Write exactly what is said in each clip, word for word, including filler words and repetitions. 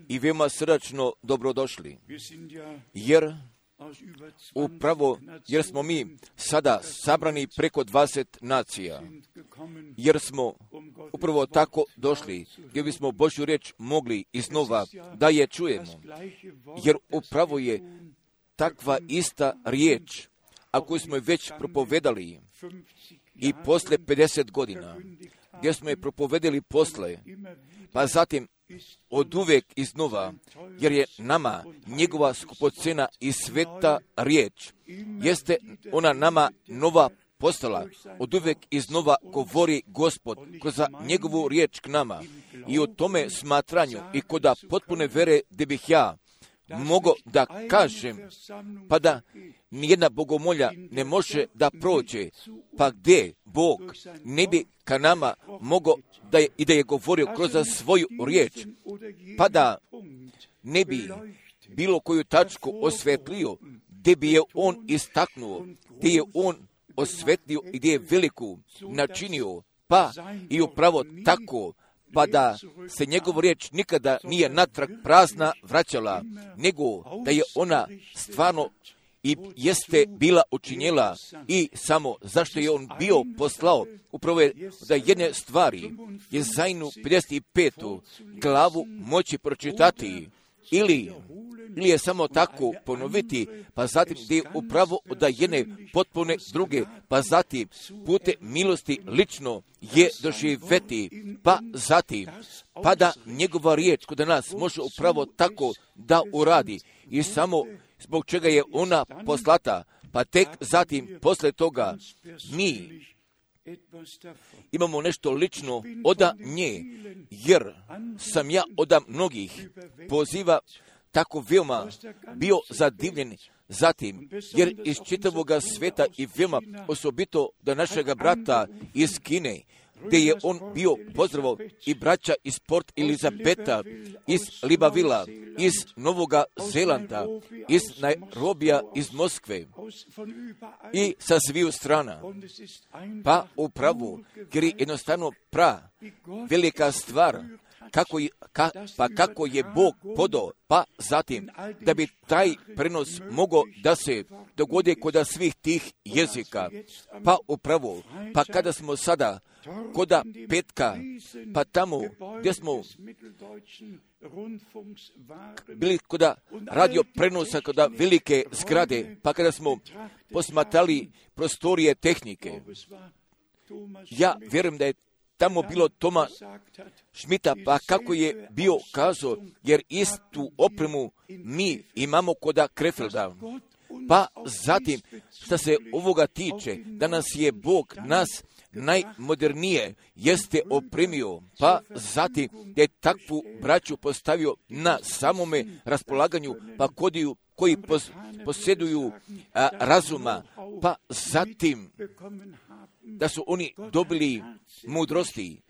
i veoma srdačno dobrodošli, jer upravo jer smo mi sada sabrani preko dvadeset nacija, jer smo upravo tako došli, gdje bismo Božju riječ mogli iznova da je čujemo, jer upravo je takva ista riječ, a koju smo je već propovedali i posle pedeset godina, gdje smo je propovedali posle, pa zatim od uvek iznova, jer je nama njegova skupocena i sveta riječ, jeste ona nama nova postala, od uvek iznova govori Gospod kroz njegovu riječ k nama. I u tome smatranju i kod potpune vere gdje bih ja mogo da kažem, pa da nijedna bogomolja ne može da prođe, pa gdje Bog ne bi ka nama mogo da je, i da je govorio kroz svoju riječ, pa da ne bi bilo koju tačku osvetlio, gdje bi je on istaknuo, gdje je on osvetlio i gdje je veliku načinio, pa i upravo tako, pa da se njegova riječ nikada nije natrag prazna vraćala, nego da je ona stvarno i jeste bila učinjela i samo zašto je on bio poslao, upravo je da jedne stvari je Jezajnu pedeset petu glavu moći pročitati ili ili je samo tako ponoviti, pa zatim gdje je upravo da jedne potpune druge, pa zatim pute milosti lično je doživeti, pa zatim, pa da njegova riječ kod nas može upravo tako da uradi i samo zbog čega je ona poslata, pa tek zatim posle toga mi imamo nešto lično od nje, jer sam ja od mnogih poziva tako veoma bio zadivljen zatim, jer iz čitavog sveta i veoma osobito do našega brata iz Kine, gdje je on bio pozdravao i braća iz Port Elizabeta, iz Libavila, iz Novoga Zelanda, iz Nairobija, iz Moskve i sa sviju strana. Pa upravo, jer je jednostavno pra velika stvar, Kako je, ka, pa kako je Bog podao, pa zatim da bi taj prenos mogao da se dogodi kod svih tih jezika, pa upravo, pa kada smo sada koda petka, pa tamo gdje smo bili koda radio prenosa, koda velike zgrade, pa kada smo posmatrali prostorije tehnike, ja vjerujem da je tamo bilo Toma Šmita, pa kako je bio kazao, jer istu opremu mi imamo koda Krefelda. Pa zatim, što se ovoga tiče, da nas je Bog nas najmodernije jeste opremio, pa zatim je takvu braću postavio na samome raspolaganju, pa kodiju koji pos, posjeduju a, razuma, pa zatim da su oni dobili mudrosti,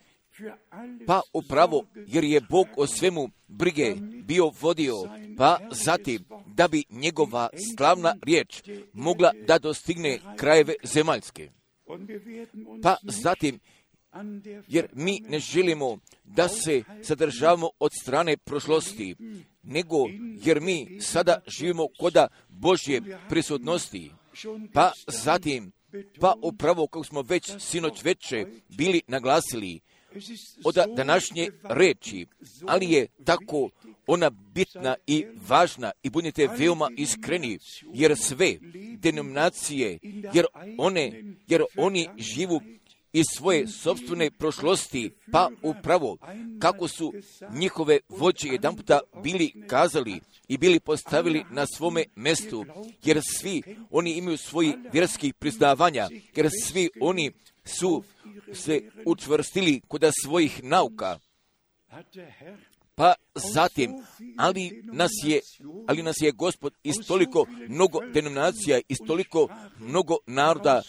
pa upravo jer je Bog o svemu brige bio vodio, pa zatim da bi njegova slavna riječ mogla da dostigne krajeve zemaljske. Pa zatim, jer mi ne želimo da se sadržavamo od strane prošlosti, nego jer mi sada živimo koda Božje prisutnosti, pa zatim, pa upravo kako smo već sinoć veče bili naglasili od današnje reči, ali je tako ona bitna i važna i budite veoma iskreni, jer sve denominacije, jer one, jer oni živu iz svoje sopstvene prošlosti, pa upravo kako su njihove vođe jedanputa bili kazali i bili postavili na svome mestu, jer svi oni imaju svoji vjerskih priznavanja, jer svi oni su se učvrstili kod svojih nauka. Pa zatim, ali nas je, ali nas je Gospod iz toliko mnogo denominacija, iz toliko mnogo naroda,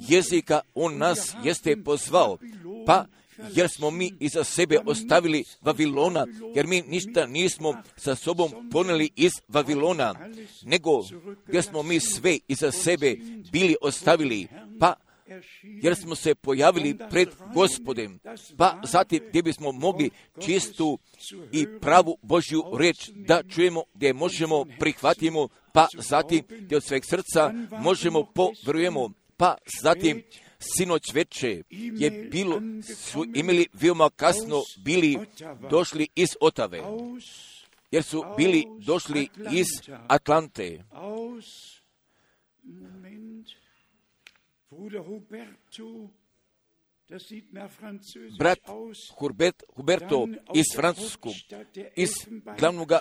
jezika, on nas jeste pozvao, pa jer smo mi iza sebe ostavili Vavilona, jer mi ništa nismo sa sobom poneli iz Vavilona, nego gdje smo mi sve iza sebe bili ostavili, pa jer smo se pojavili pred Gospodem, pa zatim gdje bismo mogli čistu i pravu Božju riječ da čujemo, gdje možemo prihvatimo, pa zatim gdje od sveg srca možemo povjerujemo, pa zatim sinoć veče je bilo, su imali veoma kasno bili došli iz Otave, jer su bili došli iz Atlante. Brat Hubert, Huberto iz Francuskog, iz glavnog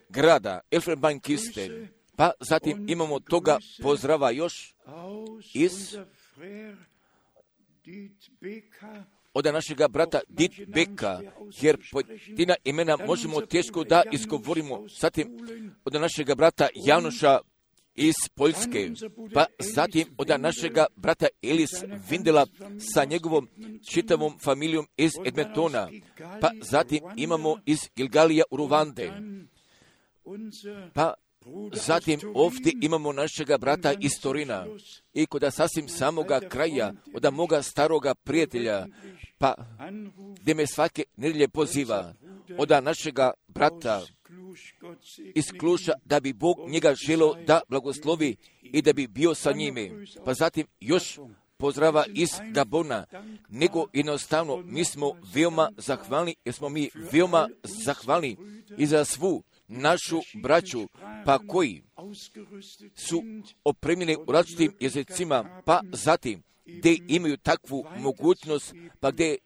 grada Elfenbeinkiste, pa zatim imamo toga pozdrava još iz od našega brata Dit Beka, jer pojedina imena možemo teško da izgovorimo, zatim od našega brata Janoša iz Poljske, pa zatim od našega brata Elis Vindela sa njegovom čitavom familijom iz Edmontona, pa zatim imamo iz Gilgalija u Ruvande, pa zatim ovdje imamo našega brata iz Torina i kod sasvim samoga kraja, od moga staroga prijatelja, pa gdje me svake nedjelje poziva, od našega brata iz Kluša, da bi Bog njega želio da blagoslovi i da bi bio sa njime. Pa zatim još pozdrava iz Gabona, nego jednostavno mi smo veoma zahvalni, jer smo mi veoma zahvalni i za svu našu braću, pa koji su opremljeni u različitim jezicima, pa zatim gdje imaju takvu mogućnost, pa gdje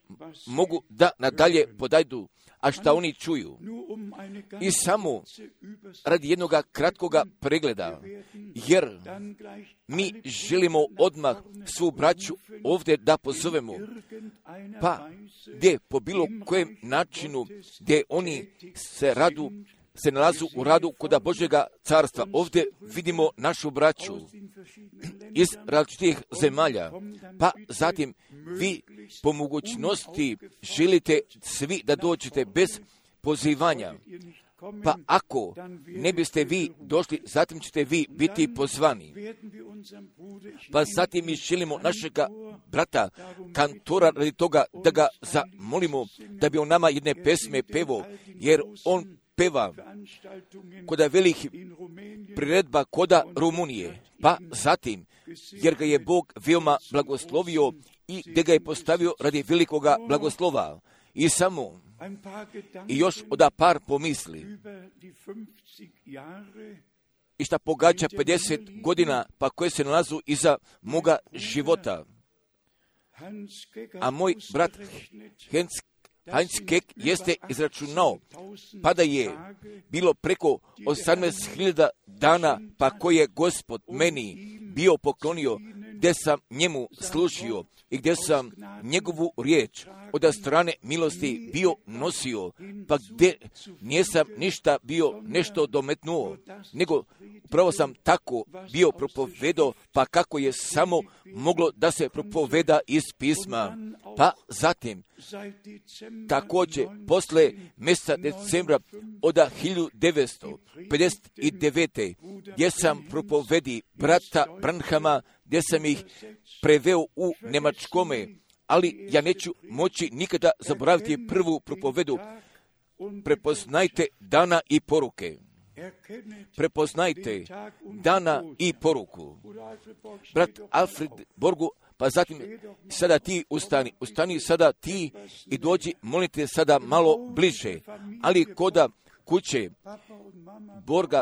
mogu da nadalje podajdu, a šta oni čuju. I samo radi jednog kratkoga pregleda, jer mi želimo odmah svu braću ovdje da pozovemo, pa gdje po bilo kojem načinu gdje oni se radu se nalazu u radu kod Božjega carstva. Ovdje vidimo našu braću iz različitih zemalja, pa zatim vi po mogućnosti želite svi da dođete bez pozivanja, pa ako ne biste vi došli, zatim ćete vi biti pozvani. Pa zatim mi želimo našega brata kantora radi toga da ga zamolimo da bi on nama jedne pesme pevo, jer on peva koda velikih priredba koda Rumunije, pa zatim, jer ga je Bog veoma blagoslovio i gdje ga je postavio radi velikoga blagoslova. I samo, i još oda par pomisli, i šta pogađa pedeset godina, pa koje se nalazu iza moga života. A moj brat Heinz Heinz Kek jeste izračunao, pa da je bilo preko osamnaest hiljada dana, pa koje je Gospod meni bio poklonio, gdje sam njemu služio i gdje sam njegovu riječ od strane milosti bio nosio, pa gdje nisam ništa bio nešto dometnuo, nego upravo sam tako bio propovedao, pa kako je samo moglo da se propoveda iz pisma. Pa zatim, također, posle mjeseca decembra od hiljadu devetsto pedeset devete. gdje sam propovedi brata Branhama, gdje sam ih preveo u Njemačkome, ali ja neću moći nikada zaboraviti prvu propovedu. Prepoznajte dana i poruke. Prepoznajte dana i poruku. Brat Alfred Borgu, pa zatim sada ti ustani, ustani sada ti i dođi, molite sada malo bliže, ali koda kuće Borga,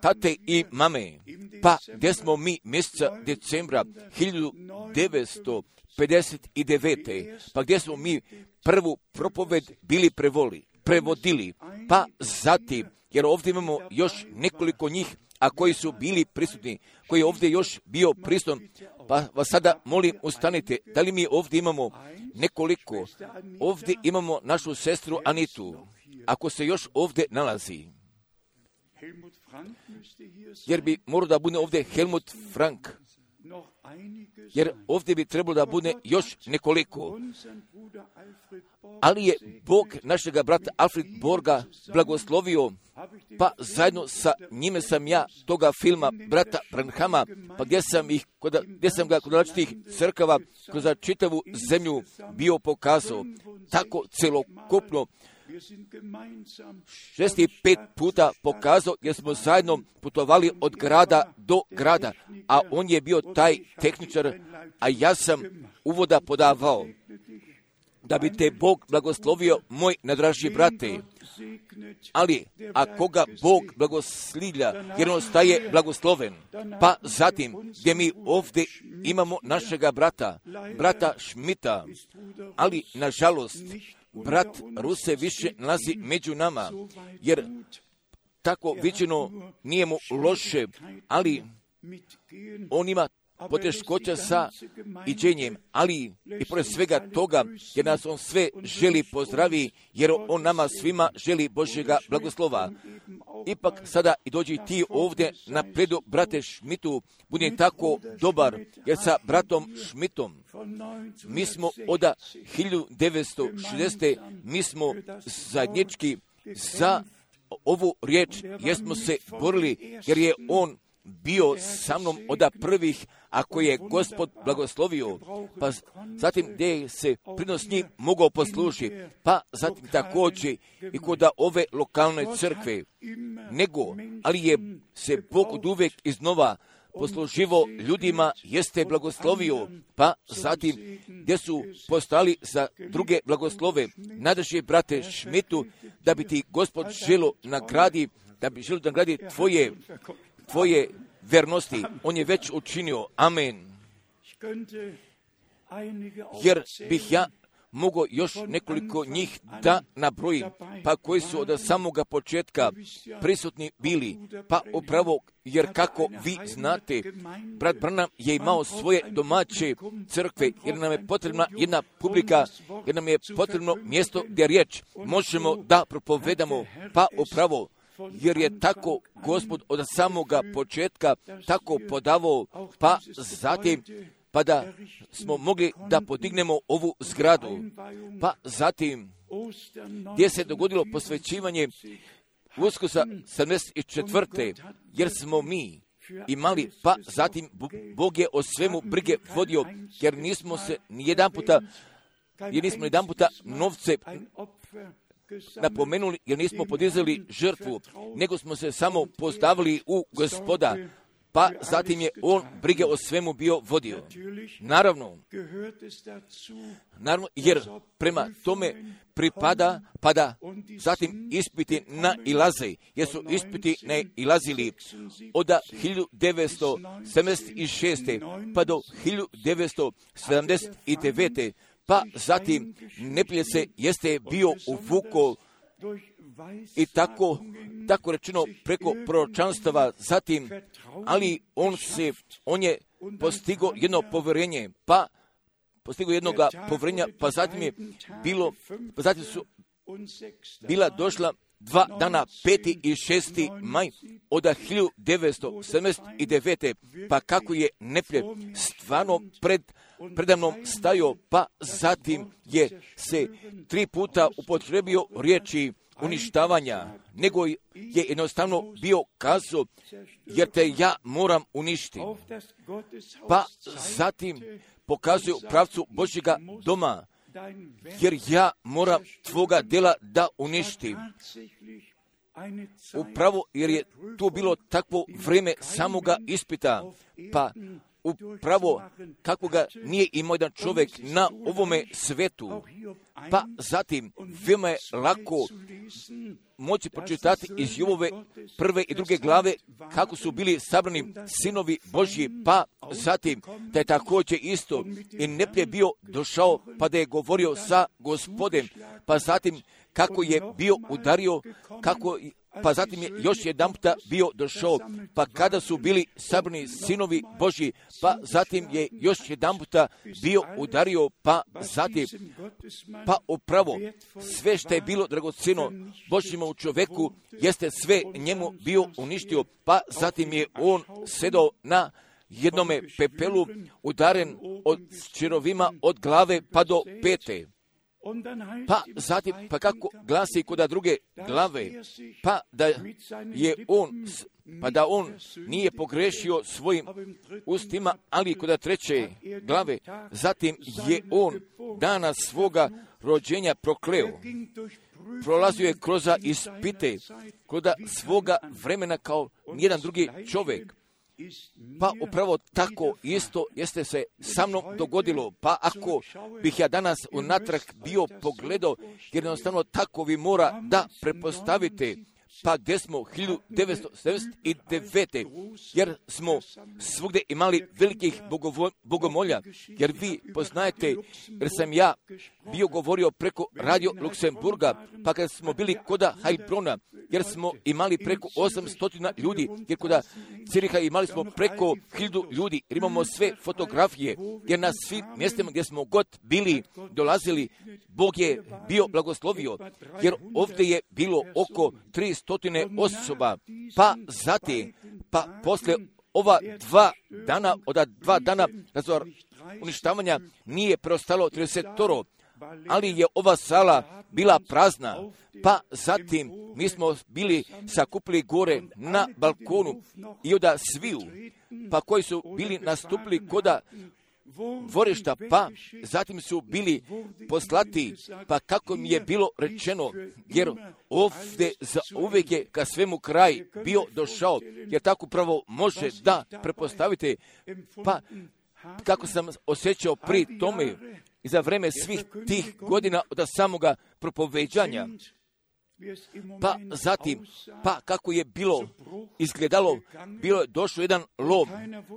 tate i mame, pa gdje smo mi mjeseca decembra hiljadu devetsto pedeset devete. pa gdje smo mi prvu propoved bili prevoli, prevodili, pa zatim, jer ovdje imamo još nekoliko njih, a koji su bili prisutni, koji je ovdje još bio prisutan, pa vas sada molim ustanite, da li mi ovdje imamo nekoliko, ovdje imamo našu sestru Anitu, ako se još ovdje nalazi, jer bi morao da bude ovdje Helmut Frank, jer ovdje bi trebalo da bude još nekoliko, ali je Bog našega brata Alfred Borga blagoslovio, pa zajedno sa njime sam ja toga filma brata Branhama, pa gdje sam, ih, gdje sam ga kod različitih crkava kroz čitavu zemlju bio pokazao, tako celokupno šezdeset pet puta pokazao, jer smo zajedno putovali od grada do grada, a on je bio taj tehničar, a ja sam uvoda podavao. Da bi te Bog blagoslovio, moj najdraži brate. Ali, ako ga Bog blagoslivlja, jer on staje blagosloven, pa zatim, gdje mi ovdje imamo našega brata, brata Šmita, ali, nažalost, brat Ruse više nalazi među nama, jer tako viđeno nije mu loše, ali on ima poteškoća sa iđenjem, ali i pored svega toga, jer nas on sve želi pozdravi, jer on nama svima želi Božjega blagoslova. Ipak sada i dođi ti ovdje na predu, brate Šmitu, budi tako dobar, jer sa bratom Šmitom mi smo od hiljadu devetsto šezdesete mi smo zajednički za ovu riječ, jer smo se borili, jer je on bio sa mnom od prvih, ako je Gospod blagoslovio, pa zatim gdje se prinos njih mogao poslužiti, pa zatim također i kod ove lokalne crkve, nego, ali je se Bog od uvijek iznova posluživo ljudima, jeste blagoslovio, pa zatim gdje su postali za druge blagoslove. Nadaži brate Šmitu, da bi ti Gospod želo nagradi, da bi želo nagradi tvoje tvoje vernosti, on je već učinio. Amen. Jer bih ja mogao još nekoliko njih da nabrojim, pa koji su od samoga početka prisutni bili, pa upravo, jer kako vi znate, brat Branham je imao svoje domaće crkve, jer nam je potrebna jedna publika, jer nam je potrebno mjesto gdje riječ možemo da propovedamo, pa upravo, jer je tako Gospod od samoga početka tako podavao, pa zatim, pa da smo mogli da podignemo ovu zgradu, pa zatim, gdje se dogodilo posvećivanje Uskrsa sedamdeset četvrte jer smo mi imali, pa zatim Bog je o svemu brige vodio, jer nismo se nijedan puta, jer nismo nijedan puta novce napomenuli, jer nismo podizali žrtvu, nego smo se samo postavili u Gospoda, pa zatim je on brige o svemu bio vodio. Naravno, naravno, jer prema tome pripada, pa da zatim ispiti nailaze, jer su ispiti nailazili od hiljadu devetsto sedamdeset šeste pa do hiljadu devetsto sedamdeset devete pa zatim neprijatelj se jeste bio uvukao i tako, tako rečeno preko proročanstava, zatim, ali on se, on je postigao jedno povjerenje, pa postigao jednoga povjerenja, pa zatim je bilo, pa zatim su bila došla dva dana, peti i šesti maj od hiljadu devetsto sedamdeset devete pa kako je neprijatelj stvarno pred predamnom stajao, pa zatim je se tri puta upotrebio riječi uništavanja, nego je jednostavno bio kazao, jer te ja moram uništiti. Pa zatim pokazuje u pravcu Božjega doma, jer ja moram tvoga djela da uništim. Upravo jer je tu bilo takvo vrijeme samoga ispita, pa upravo kako ga nije imao jedan čovjek na ovome svetu, pa zatim veoma je lako moći pročitati iz Jovove prve i druge glave kako su bili sabrani sinovi Božji, pa zatim da je također isto i neprijatelj bio došao pa da je govorio sa Gospodem, pa zatim kako je bio udario, kako pa zatim je još jedan puta bio došao, pa kada su bili sabrani sinovi Božji, pa zatim je još jedan puta bio udario, pa zatim, pa upravo sve što je bilo dragocjeno Božjima u čovjeku, jeste sve njemu bio uništio, pa zatim je on sedao na jednome pepelu, udaren od čirovima od glave pa do pete. Pa zatim, pa kako glasi kod druge glave, pa da je on, pa da on nije pogrešio svojim ustima, ali kod treće glave, zatim je on dana svoga rođenja prokleo. Prolazio je kroz ispite, kod svoga vremena kao nijedan drugi čovjek. Pa upravo tako isto jeste se sa mnom dogodilo. Pa ako bih ja danas unatrag bio pogledao, jednostavno tako vi mora da prepostavite, pa gdje smo hiljadu devetsto sedamdeset devete. jer smo svugdje imali velikih bogovo, bogomolja, jer vi poznajete, jer sam ja bio govorio preko Radio Luksemburga, pa kad smo bili koda Heilbrona, jer smo imali preko osamsto ljudi, jer koda Ciriha imali smo preko hiljadu ljudi, jer imamo sve fotografije, jer na svim mjestima gdje smo god bili, dolazili, Bog je bio blagoslovio, jer ovdje je bilo oko tristo osoba, pa zatim, pa posle ova dva dana, od dva dana razvora uništavanja nije preostalo tridesetoro, ali je ova sala bila prazna, pa zatim mi smo bili sakupili gore na balkonu i onda sviju, pa koji su bili nastupili koda dvorišta, pa zatim su bili poslati, pa kako mi je bilo rečeno, jer ovdje za uvijek je ka svemu kraj bio došao, jer tako pravo može da prepostavite, pa kako sam osjećao pri tome i za vreme svih tih godina od samoga propoveđanja, pa zatim, pa kako je bilo izgledalo, bilo je došao jedan lom,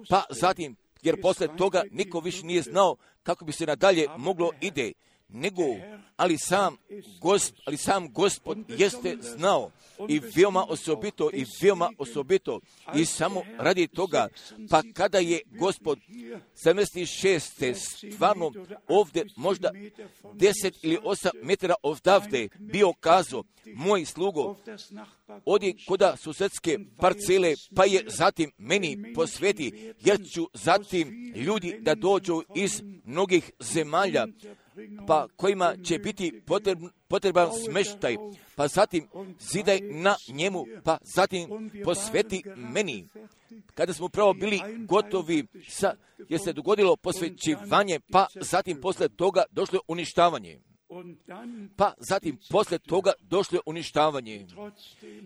pa zatim, jer posle toga niko više nije znao kako bi se nadalje moglo ide, nego, ali sam, gosp, ali sam Gospod jeste znao i veoma osobito, i veoma osobito, i samo radi toga, pa kada je Gospod sedamdeset šeste stvarno ovdje možda deset ili osam metara odavde bio kazao, moj slugo, odi koda susedske parcele, pa je zatim meni posveti, jer ću zatim ljudi da dođu iz mnogih zemalja, pa kojima će biti potreban, potreban smeštaj, pa zatim zidaj na njemu, pa zatim posveti meni. Kada smo pravo bili gotovi, sa, je se dogodilo posvećivanje, pa zatim posle toga došlo uništavanje. Pa zatim posle toga došlo uništavanje.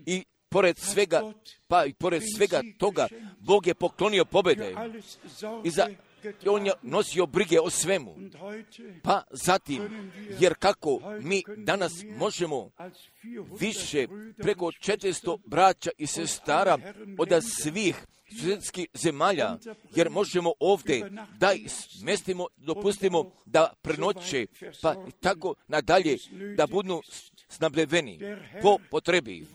I pored svega, pa i pored svega toga, Bog je poklonio pobjede. I za on je nosio brige o svemu. Pa zatim, jer kako mi danas možemo više preko četiristo braća i sestara od svih svjetskih zemalja, jer možemo ovdje da smestimo, dopustimo da prenoće, pa i tako nadalje, da budu snabdeveni po potrebi.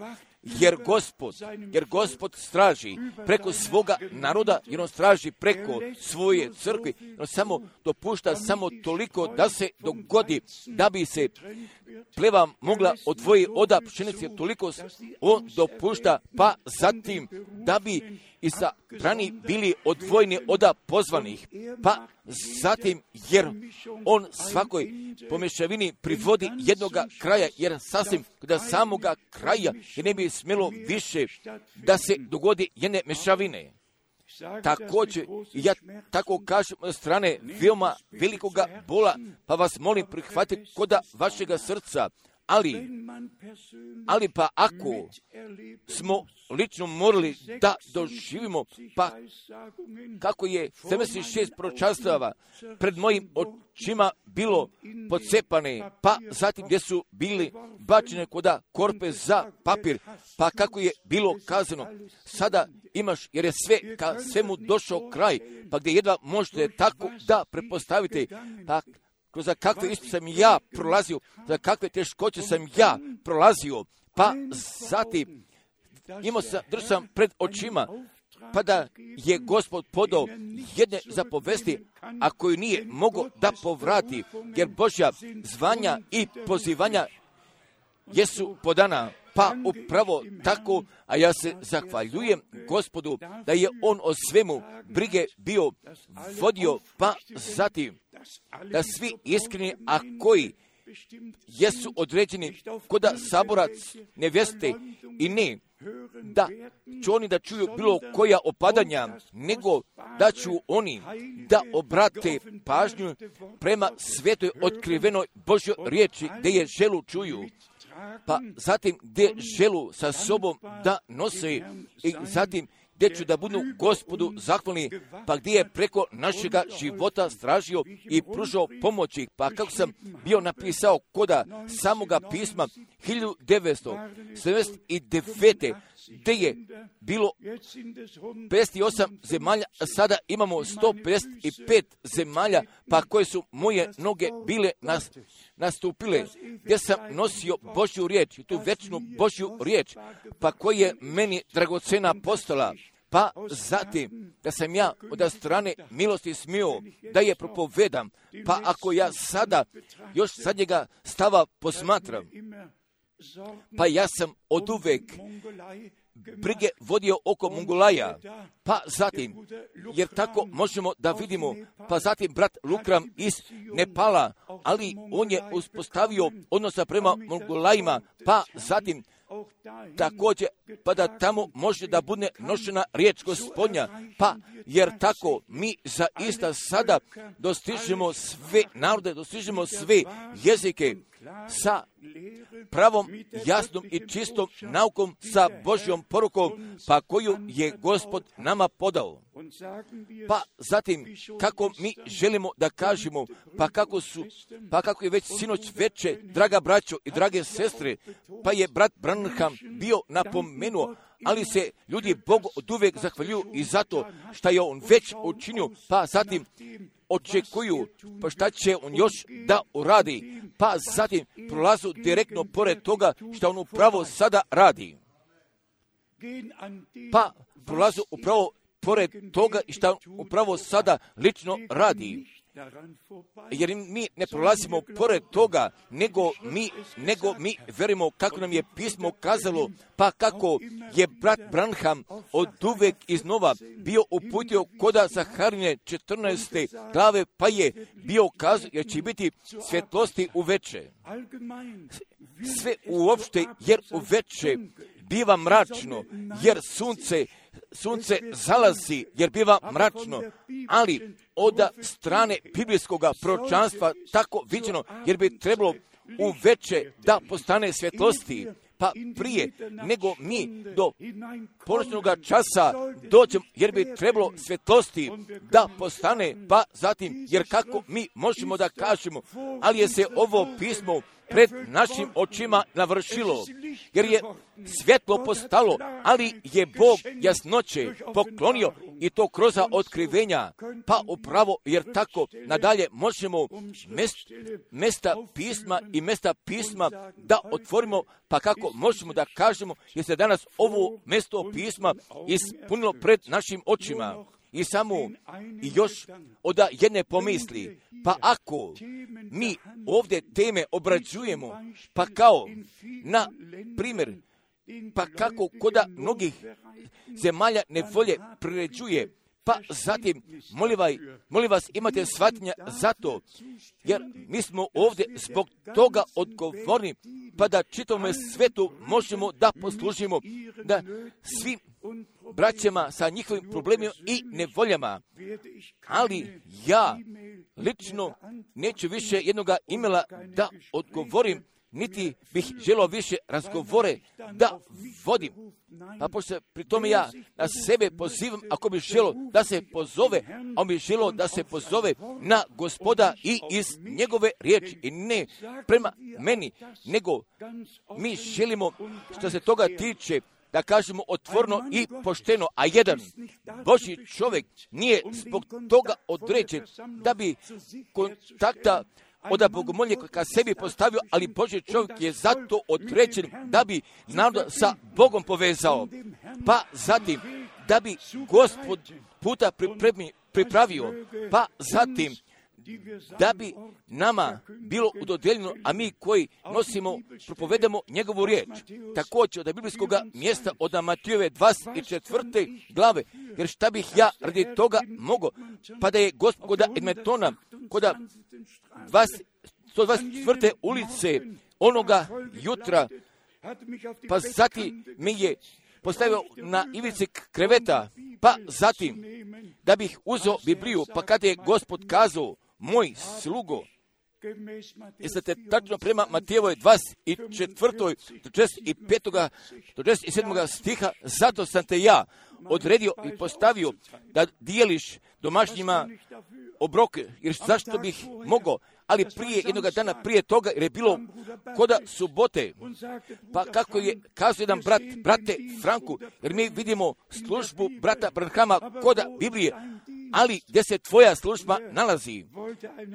Jer Gospod, jer Gospod straži preko svoga naroda, jer on straži preko svoje crkve, on samo dopušta samo toliko da se dogodi, da bi se pleva mogla odvojiti od pšenice, toliko on dopušta, pa zatim da bi i sa strani bili odvojeni od pozvanih, pa zatim jer on svakoj pomješavini privodi jednoga kraja, jer sasvim do samoga kraja jer ne bi smjelo više da se dogodi jedne mešavine. Također, ja tako kažem od strane veoma velikoga bola, pa vas molim prihvatiti koda vašega srca, ali, ali pa ako smo lično morali da doživimo, pa kako je sedamdeset šest proročanstava pred mojim očima bilo pocepane, pa zatim gdje su bili bačene koda korpe za papir, pa kako je bilo kazano, sada imaš, jer je sve ka svemu došao kraj, pa gdje jedva možete tako da prepostavite, pa kroz kakve isto sam ja prolazio, za kakve teškoće sam ja prolazio, pa zatim imao sam, držao sam pred očima, pa da je Gospod podao jedne zapovesti, a koju nije mogao da povrati, jer Božja zvanja i pozivanja jesu podana. Pa upravo tako, a ja se zahvaljujem Gospodu da je on o svemu brige bio vodio, pa zatim da svi iskreni, a koji jesu određeni koda saborac nevjeste i ne da će oni da čuju bilo koja opadanja, nego da ću oni da obrate pažnju prema svetoj otkrivenoj Božjoj riječi, gdje je želu čuju, pa zatim gdje želu sa sobom da nose i zatim gdje ću da budu Gospodu zahvalni, pa gdje je preko našega života stražio i pružao pomoći. Pa kako sam bio napisao koda samoga pisma hiljadu devetsto sedamdeset devete gdje je bilo pedeset osam zemalja, a sada imamo sto pedeset pet zemalja, pa koje su moje noge bile nas, nastupile, gdje sam nosio Božju riječ, tu večnu Božju riječ, pa koja je meni dragocena postala. Pa zatim, da sam ja od strane milosti smio da je propovedam, pa ako ja sada još sad njega stava posmatram, pa ja sam od uvek brige vodio oko Mongolaja, pa zatim, jer tako možemo da vidimo, pa zatim brat Lukram iz Nepala, ali on je uspostavio odnosa prema Mongolajima, pa zatim također, pa da tamo može da bude nošena riječ Gospodnja, pa jer tako mi zaista sada dostižemo sve narode, dostižemo sve jezike sa pravom, jasnom i čistom naukom, sa Božjom porukom, pa koju je Gospod nama podao. Pa zatim, kako mi želimo da kažemo, pa kako su, pa kako je već sinoć veče, draga braćo i drage sestre, pa je brat Branham bio napomenuo, ali se ljudi Bogu od uvek zahvaljuju i zato što je on već učinio, pa zatim očekuju, pa šta će on još da uradi, pa zatim prolazu direktno pored toga što on upravo sada radi. Pa prolazu upravo pored toga što on upravo sada lično radi. Jer mi ne prolazimo pored toga, nego mi, nego mi verimo kako nam je pismo kazalo, pa kako je brat Branham od uvek iznova bio uputio koda Zaharine četrnaeste glave, pa je bio kazao jer će biti svjetlosti uveče. Sve uopšte, jer uveče biva mračno, jer sunce sunce zalazi, jer biva mračno, ali od strane biblijskog proročanstva tako viđeno, jer bi trebalo uveče da postane svjetlosti, pa prije nego mi do ponoćnog časa dođemo, jer bi trebalo svjetlosti da postane, pa zatim, jer kako mi možemo da kažemo, ali je se ovo pismo pred našim očima navršilo, jer je svjetlo postalo, ali je Bog jasnoće poklonio i to kroz otkrivenja, pa upravo jer tako nadalje možemo mest, mesta pisma i mesta pisma da otvorimo, pa kako možemo da kažemo, jer se danas ovo mesto pisma ispunilo pred našim očima. I samo i još od jedne pomisli, pa ako mi ovdje teme obrađujemo, pa kao, na primjer, pa kako koda mnogih zemalja nevolje priređuje, pa zatim, molim vas, molim vas imate shvatnja za to, jer mi smo ovdje zbog toga odgovorni, pa da čitavome svetu možemo da poslužimo, da svim braćama sa njihovim problemima i nevoljama. Ali ja lično neću više jednoga imela da odgovorim, niti bih želio više razgovore da vodim. Pa pošto pri tome ja na sebe pozivam, ako bih želio da se pozove, a on bih želio da se pozove na Gospoda i iz njegove riječi i ne prema meni, nego mi želimo što se toga tiče da kažemo otvorno i pošteno, a jedan Božji čovjek nije zbog toga određen da bi kontakta od bogomolje ka sebi postavio, ali Božji čovjek je zato određen da bi narod sa Bogom povezao. Pa zatim, da bi Gospod puta pripremi, pripravio, pa zatim, da bi nama bilo udodjeljeno, a mi koji nosimo, propovedamo njegovu riječ. Također od biblijskog mjesta od Matijeve dvadeset četvrte glave, jer šta bih ja radi toga mogao, pa da je Gospod koda Edmetona, koda dvadeset sto dvadeset četvrte ulice onoga jutra, pa zatim mi je postavio na ivici kreveta, pa zatim da bih uzeo Bibliju, pa kada je Gospod kazao, moj slugo, jeste tačno prema Matejevoj dvadeset četvrtoj do četrdeset petog do četrdeset sedmog stiha, zato sam te ja odredio i postavio da dijeliš domaćnjima obroke, jer zašto bih mogao, ali prije jednog dana prije toga, jer je bilo koda subote, pa kako je kazao jedan brat, brate Franku, jer mi vidimo službu brata Branhama koda Biblije, ali gdje se tvoja služba nalazi,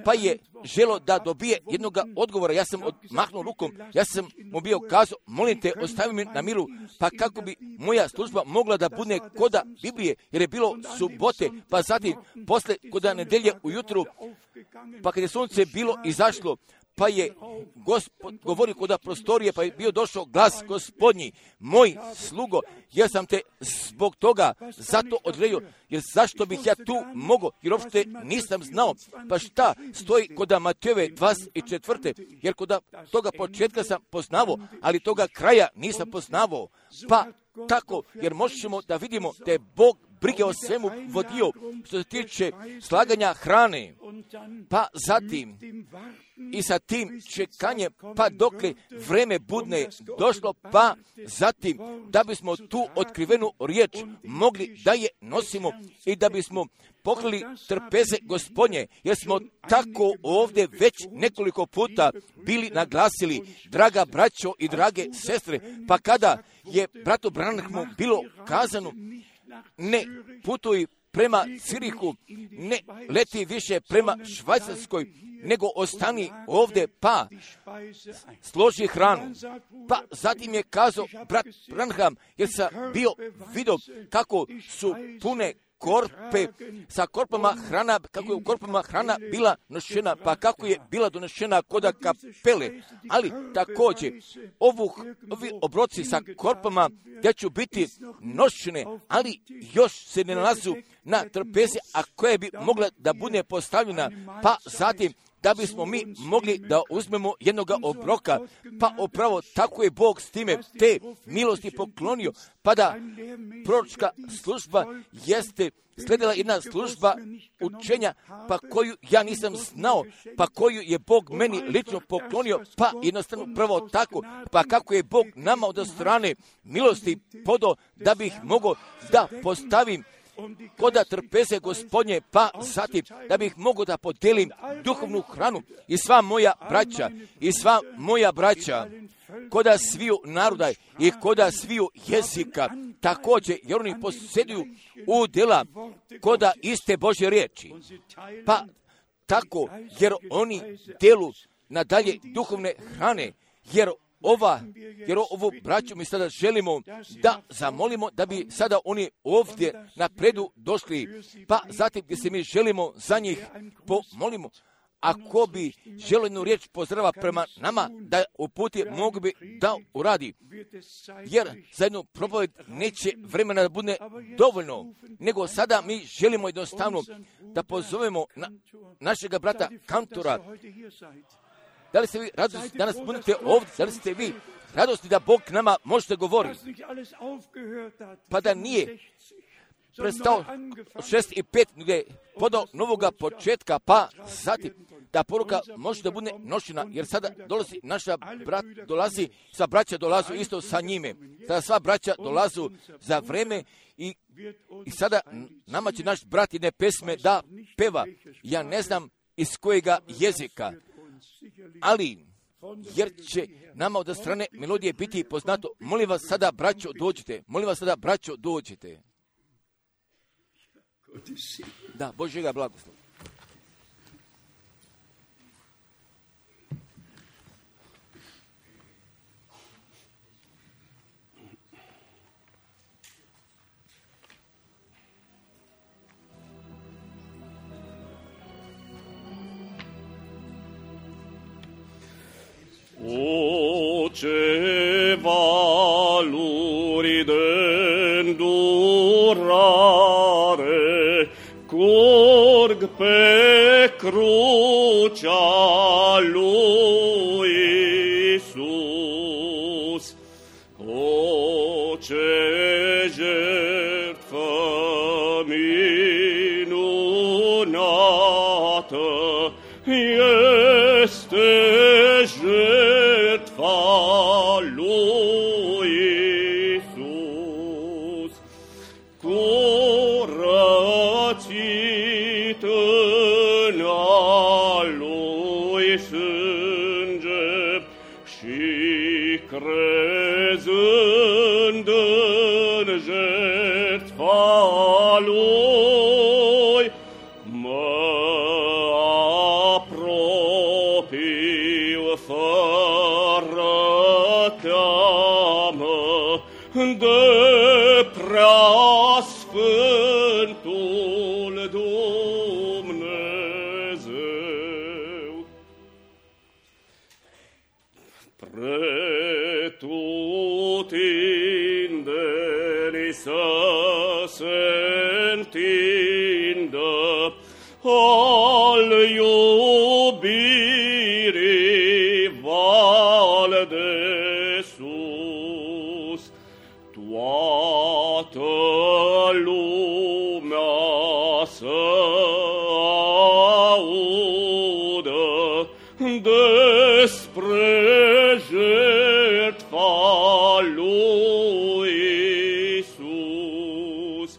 pa je želo da dobije jednog odgovora. Ja sam odmahnuo rukom, ja sam mu bio kazao, molim te, ostavi me na milu, pa kako bi moja služba mogla da bude koda Biblije, jer je bilo subote, pa zatim posle koda nedelje ujutru, pa kad je sunce bilo izašlo, pa je Gospod govorio koda prostorije, pa je bio došao glas Gospodnji, moj slugo, ja sam te zbog toga zato odredio, jer zašto bih ja tu mogao, jer uopšte nisam znao, pa šta stoji koda Matejeve dvadeset četvrte, jer koda toga početka sam poznavao, ali toga kraja nisam poznavao, pa tako, jer možemo da vidimo da je Bog brige o svemu vodio što se tiče slaganja hrane, pa zatim i sa tim čekanjem, pa dokle vreme budne došlo, pa zatim da bismo tu otkrivenu riječ mogli da je nosimo i da bismo pokrili trpeze Gospodnje, jer smo tako ovdje već nekoliko puta bili naglasili, draga braćo i drage sestre, pa kada je bratu Branhamu bilo kazano, ne putuj prema Cirihu, ne leti više prema Švajcarskoj, nego ostani ovdje, pa složi hranu. Pa zatim je kazao brat Branham, jer sam bio vidio kako su pune korpe, sa korpama hrana, kako je u korpama hrana bila nošena, pa kako je bila donešena koda kapele, ali također ovu, ovi obroci sa korpama gdje će biti nošene, ali još se ne nalazu na trpezi, a koje bi mogla da bude postavljena, pa zatim da bismo mi mogli da uzmemo jednoga obroka, pa upravo tako je Bog s time te milosti poklonio, pa da proročka služba jeste sledila jedna služba učenja, pa koju ja nisam znao, pa koju je Bog meni lično poklonio, pa jednostavno prvo tako, pa kako je Bog nama od strane milosti podao da bih mogao da postavim koda trpeze Gospodnje, pa zatim da bih mogao da podelim duhovnu hranu i sva moja braća, i sva moja braća, koda sviju naroda i koda sviju jezika, također, jer oni posjeduju udjela koda iste Božje riječi. Pa tako, jer oni delu nadalje duhovne hrane, jer ova, jer ovu braću mi sada želimo da zamolimo da bi sada oni ovdje napredu došli, pa zatim gdje se mi želimo za njih pomolimo. Ako bi želio jednu riječ pozdrava prema nama da uputi, mogu bi da uradi. Jer za jednu propoved neće vremena da bude dovoljno, nego sada mi želimo jednostavno da pozovemo na, našega brata Kantora. Da li ste vi radosni danas budete ovdje? Da li ste vi radosni da Bog nama možete govoriti? Pa da nije prestao šest i pet gdje podao novoga početka, pa zatim da poruka može da bude nošena, jer sada dolazi naša brat, dolazi, sva braća dolazu isto sa njime. Sada sva braća dolazu za vreme i, i sada nama će naš brat jedne pesme da peva. Ja ne znam iz kojega jezika, ali jer će nama od strane melodije biti poznato. Molim vas sada, braćo, dođite. Molim vas sada, braćo, dođite. Da, Božjega blagoslova. Ce valuri d'îndurare curg pe crucea lui. Oče, žrtva minunata, jeste žrtva lui Isus, curățit-n a lui sânge și crezând în jertfa lui, mă apropiu fără teamă de preasfântul Dumnezeu. Pretutindeni să se întindă al iubirii val de sus, toată lumea să audă despre jertfa lui Isus,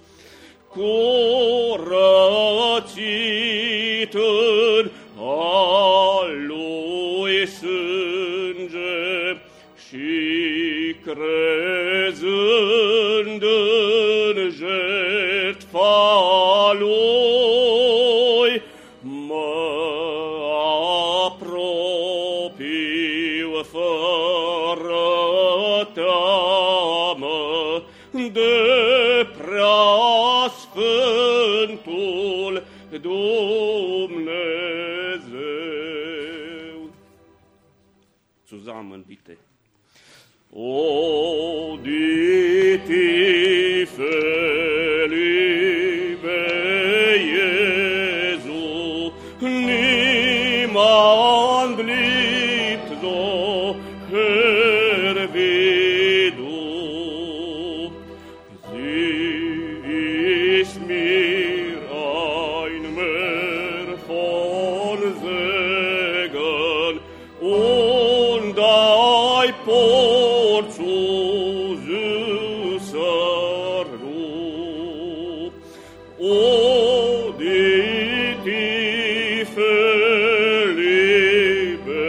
curățit în a lui sânge și crezând în jertfa lui, mă apropiu fără teamă de preasfântul Dumnezeu. Zusammen bitte. O die Tiefe, liebe Jesu, niemand liebt so Herr wie du. Sie ist mir ein Meer von Segen und ein Port zu süßer Ruhe. O die Tiefe, liebe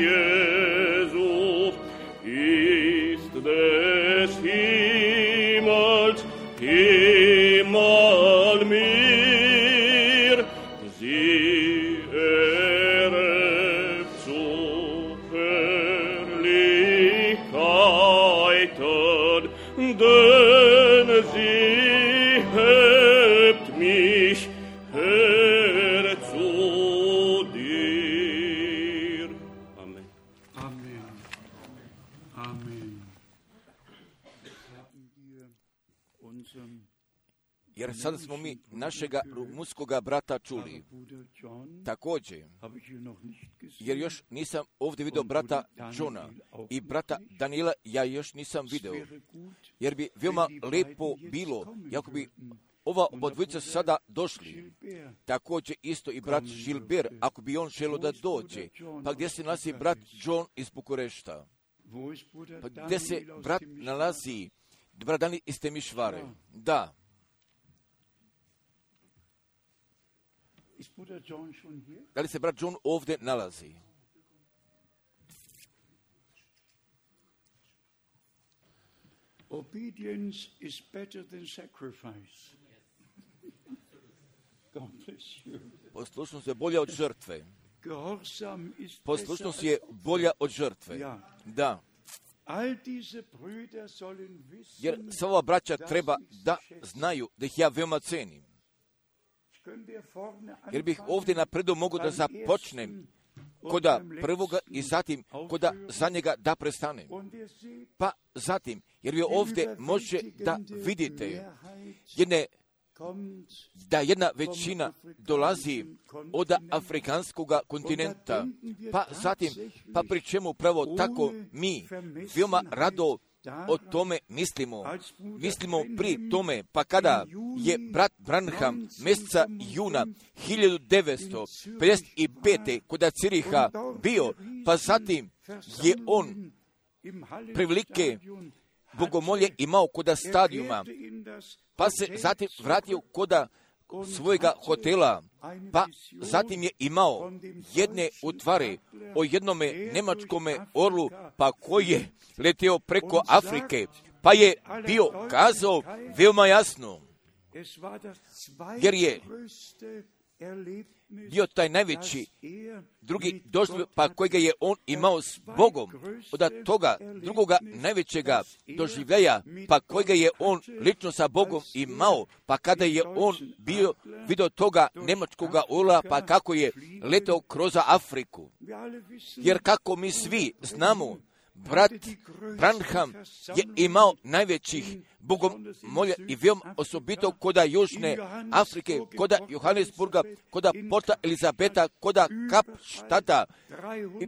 Jesu, ist des Himmels Himmel mir, sie erhebt zu Herrlichkeiten, denn sie hebt mich her zu dir. Amen. Amen. Amen. Haben wir unseren Jer sad smo mi našega rumunskoga brata čuli. Bruder John, Također, habe ich hier noch nicht gesehen. jer još nisam ovdje vidio brata Johna i brata Daniela, ja još nisam Es vidio. wäre gut, Jer bi veoma lepo bilo, ako bi ova obodvojica sada došli. Gilbert, Također isto i brat Gilbert, ako bi on želio da dođe. Pa gdje se nalazi brat John iz Bukurešta? wo ist Bruder Pa gdje se Daniel aus brat dem nalazi? Brat Daniel iz Temišvare. Da. Ist Bruder John schon hier? Da li se brat John ovdje nalazi? Obedience is better than sacrifice. God bless you. Poslušnost je bolja od žrtve. Gehorsam ist Poslušnost besser je als bolja od žrtve. Ja. Da. All diese Brüder sollen Jer wissen, sva ova braća treba da znaju da ih ja veoma cenim. können wir vorne Jer bih anfangen, ovdje napredo mogu da beim započnem ersten koda und beim prvoga i letzten zatim koda aufhören. za njega da prestanem. Und wir sehen, Pa zatim, jer vi die ovdje može da überwältigende vidite Mehrheit jedne, kommt da jedna većina dolazi od afrikanskog kontinenta. Pa zatim, pa pri čemu upravo tako mi veoma rado o tome mislimo. Mislimo pri tome, pa kada je brat Branham mjeseca juna hiljadu devetsto pedeset pete kod Ciriha bio, pa zatim je on prevelike bogomolje imao kod stadijuma, pa se zatim vratio kod svojega hotela, pa zatim je imao jedne utvare o jednome nemačkome orlu, pa koji je letio preko Afrike, pa je bio kazao veoma jasno, jer je bio taj najveći drugi doživljaj, pa kojega je on imao s Bogom, od toga drugoga najvećega doživljaja, pa kojega je on lično sa Bogom imao, pa kada je on bio vidio toga nemačkoga orla, pa kako je letao kroz Afriku. Jer kako mi svi znamo, brat Branham je imao najvećih bogomolja i veoma osobito koda Južne Afrike, koda Johannesburga, koda Porta Elizabeta, koda Kapštata i,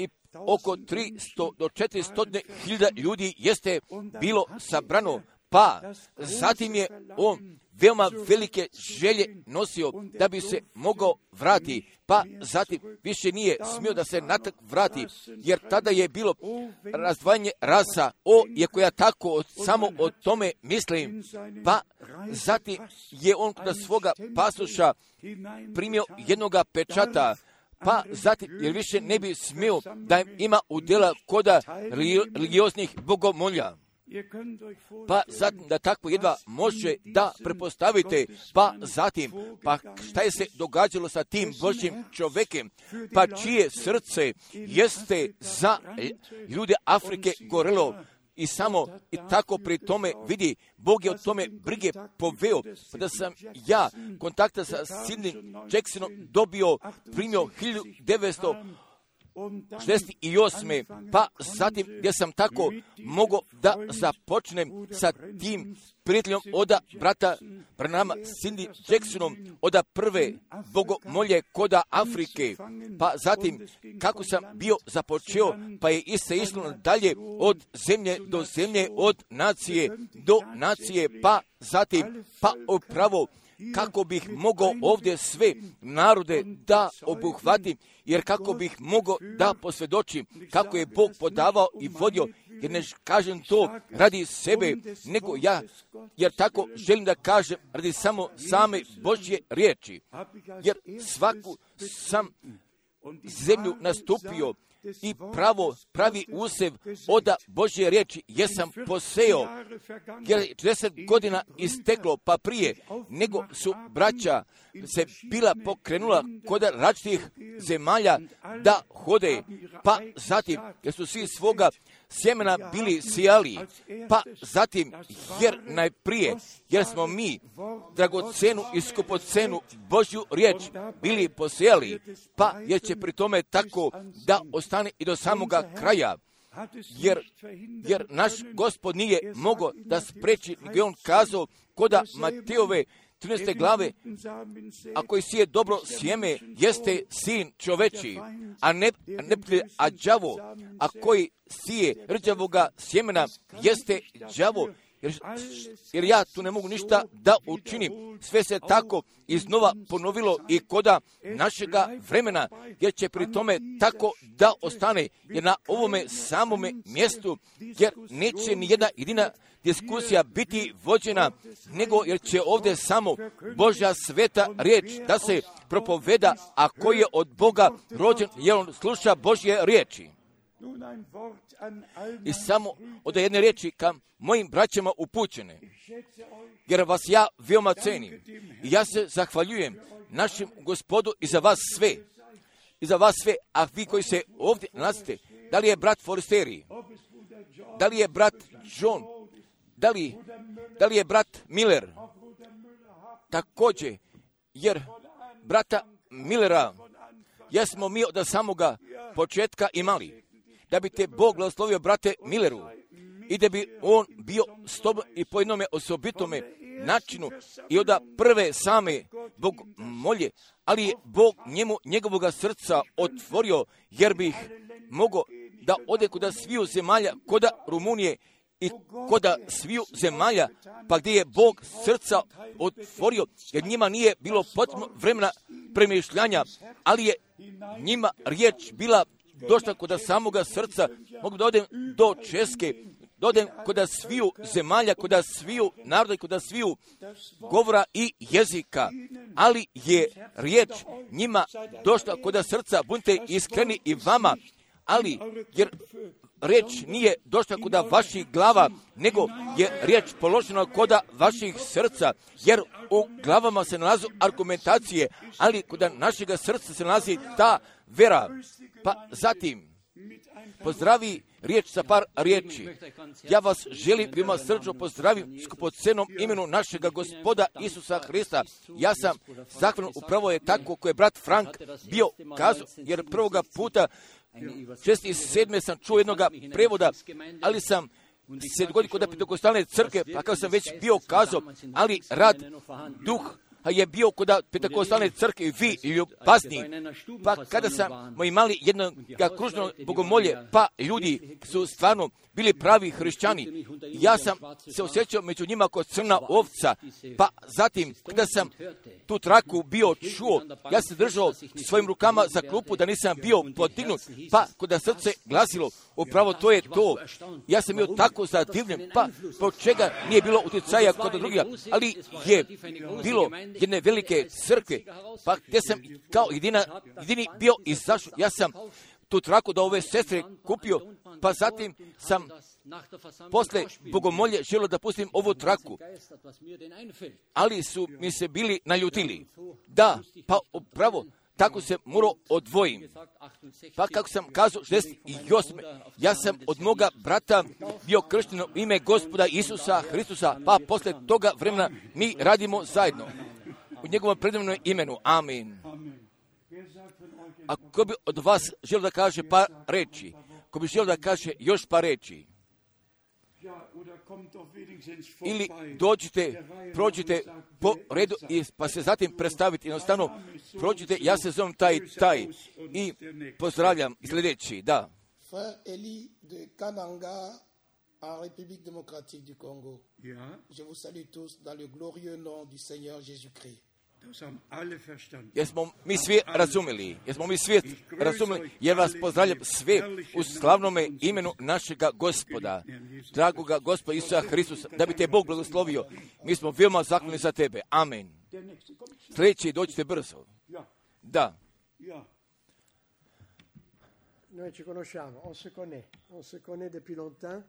i oko tristo do četiristo hiljada ljudi jeste bilo sabrano, pa zatim je on veoma velike želje nosio da bi se mogao vrati, pa zatim više nije smio da se natrag vrati, jer tada je bilo razdvajanje rasa, o, iako ja tako samo o tome mislim, pa zatim je on kod svoga pasoša primio jednoga pečata, pa zatim, jer više ne bi smio da ima udjela koda religioznih bogomolja. Pa zatim da tako jedva može da prepostavite, pa zatim, pa šta je se događalo sa tim Božjim čovjekem, pa čije srce jeste za ljude Afrike gorelo i samo i tako pri tome vidi, Bog je o tome brige poveo, pa da sam ja kontakta sa Sidney Jacksonom dobio, primio hiljadu devetsto šezdeset osme pa zatim gdje sam tako mogao da započnem sa tim prijateljom od brata Branhama Sidney Jacksonom od prve bogomolje koda Afrike, pa zatim kako sam bio započeo, pa je iste išlo dalje od zemlje do zemlje, od nacije do nacije, pa zatim pa upravo kako bih mogao ovdje sve narode da obuhvatim, jer kako bih mogao da posvjedočim kako je Bog podavao i vodio, jer ne kažem to radi sebe, nego ja, jer tako želim da kažem radi samo same Božje riječi, jer svaku sam zemlju nastupio i pravo pravi usev od Božje riječi jesam poseo, jer četrdeset godina isteklo, pa prije nego su braća se bila pokrenula kod različitih zemalja da hode, pa zatim jer su svi svoga sjemena bili sijali, pa zatim jer najprije, jer smo mi dragocenu i skupocenu Božju riječ bili posijali, pa jer će pri tome tako da ostane i do samoga kraja, jer, jer naš Gospod nije mogao da spreči, nego je on kazao koda Matejove trinaeste glave, a koji sije dobro sjeme, jeste sin čoveči, a ne, ne a đavo, a koji sije rđavoga sjemena, jeste đavo, jer, jer ja tu ne mogu ništa da učinim. Sve se tako iznova ponovilo i koda našega vremena, jer će pri tome tako da ostane, jer na ovome samome mjestu, jer neće ni jedna jedina diskusija biti vođena, nego jer će ovdje samo Božja sveta riječ da se propoveda, a koji je od Boga rođen, jer on sluša Božje riječi. I samo od jedne riječi ka mojim braćama upućene, jer vas ja veoma cenim. I ja se zahvaljujem našem Gospodu i za vas sve. I za vas sve, a vi koji se ovdje nalazite, da li je brat Forsteri, da li je brat John, da li, da li je brat Miller, također, jer brata Millera jesmo mi od samoga početka imali, da bi te Bog blagoslovio brate Milleru i da bi on bio s tobom i po jednome osobitome načinu i od prve same Bog molje, ali je Bog njemu njegovoga srca otvorio, jer bih mogao da ode koda sviju zemalja, koda Rumunije i koda sviju zemalja, pa gdje je Bog srca otvorio, jer njima nije bilo potrebno vremena premišljanja, ali je njima riječ bila došla koda samoga srca. Mogu da odem do Česke, da odem koda sviju zemalja, koda sviju naroda i koda sviju govora i jezika, ali je riječ njima došla koda srca. Budite iskreni i vama, ali jer riječ nije došla koda vaših glava, nego je riječ položena koda vaših srca, jer u glavama se nalazu argumentacije, ali koda našega srca se nalazi ta vera. Pa zatim pozdravi riječ sa par riječi. Ja vas želim, vima srčno pozdravim skupocenom imenu našega Gospoda Isusa Hrista. Ja sam zahvalan, upravo je tako koje je brat Frank bio kazao, jer prvoga puta šesnaest sedme sam čuo jednoga prevoda, ali sam se dogodio kod Pentekostalne crkve, pa kao sam već bio kazao, ali rad duh je bio kod Pentekostalne crkve i vi ljubazni. Pa kada smo imali jedno kružno bogomolje, pa ljudi su stvarno bili pravi hrišćani. Ja sam se osjećao među njima kao crna ovca, pa zatim kada sam tu traku bio čuo, ja sam držao svojim rukama za klupu da nisam bio podignut, pa kada srce glasilo, upravo to je to. Ja sam bio tako zadivljen, pa po čega nije bilo utjecaja kod drugih, ali je bilo jedne velike crkve, pa gdje sam kao jedina, jedini bio izašao. Ja sam tu traku da ove sestre kupio, pa zatim sam posle bogomolje želio da pustim ovu traku, ali su mi se bili naljutili. Da, pa upravo tako se morao odvojim. Pa kako sam kazao, šezdeset osme ja sam od moga brata bio kršten u ime Gospoda Isusa Hristusa, pa posle toga vremena mi radimo zajedno u njegovom predivnom imenu. Amin. A ko bi od vas želio da kaže par reči? Ko bi želio da kaže još par reči? Ili dođite, prođite po redu i pa se zatim predstaviti. Jednostavno, prođite, ja se zovem taj, taj i pozdravljam sljedeći, da. Frère Eli de Kananga, en République démocratique du Congo. Je vous salue tous dans le glorieux nom du Seigneur Jésus-Christ. Jesmo mi svi razumeli, jesmo mi svi razumeli, jer vas pozdravljam sve u slavnome imenu našega Gospoda, dragoga Gospoda Isusa Hristusa, da bi te Bog blagoslovio. Mi smo veoma zahvalni za tebe. Amen. Sljedeći, dođite brzo. Da. Noi ci conosciamo, on se connaît, on se connaît depuis longtemps,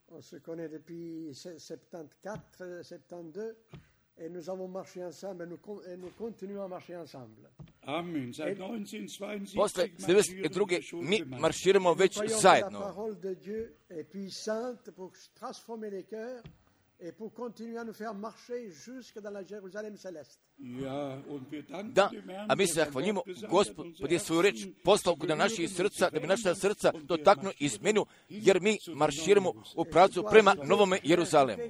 on se connaît depuis soixante-quatorze, soixante-douze. Et nous avons marché ensemble et nous, et nous continuons à marcher ensemble. Amen. Seit neunzehnhundertzweiundsiebzig Posle devedeset druge mi marširamo već zajedno. La parole de Dieu est puissante pour transformer les cœurs et pour continuer à nous faire marcher jusque dans la Jérusalem céleste. Da, a mi se zahvaljujemo Gospod je svoju reč poslao kod naših srca, da bi naša srca dotaknuo izmenu, jer mi marširamo u pravcu prema Novome Jeruzalemu.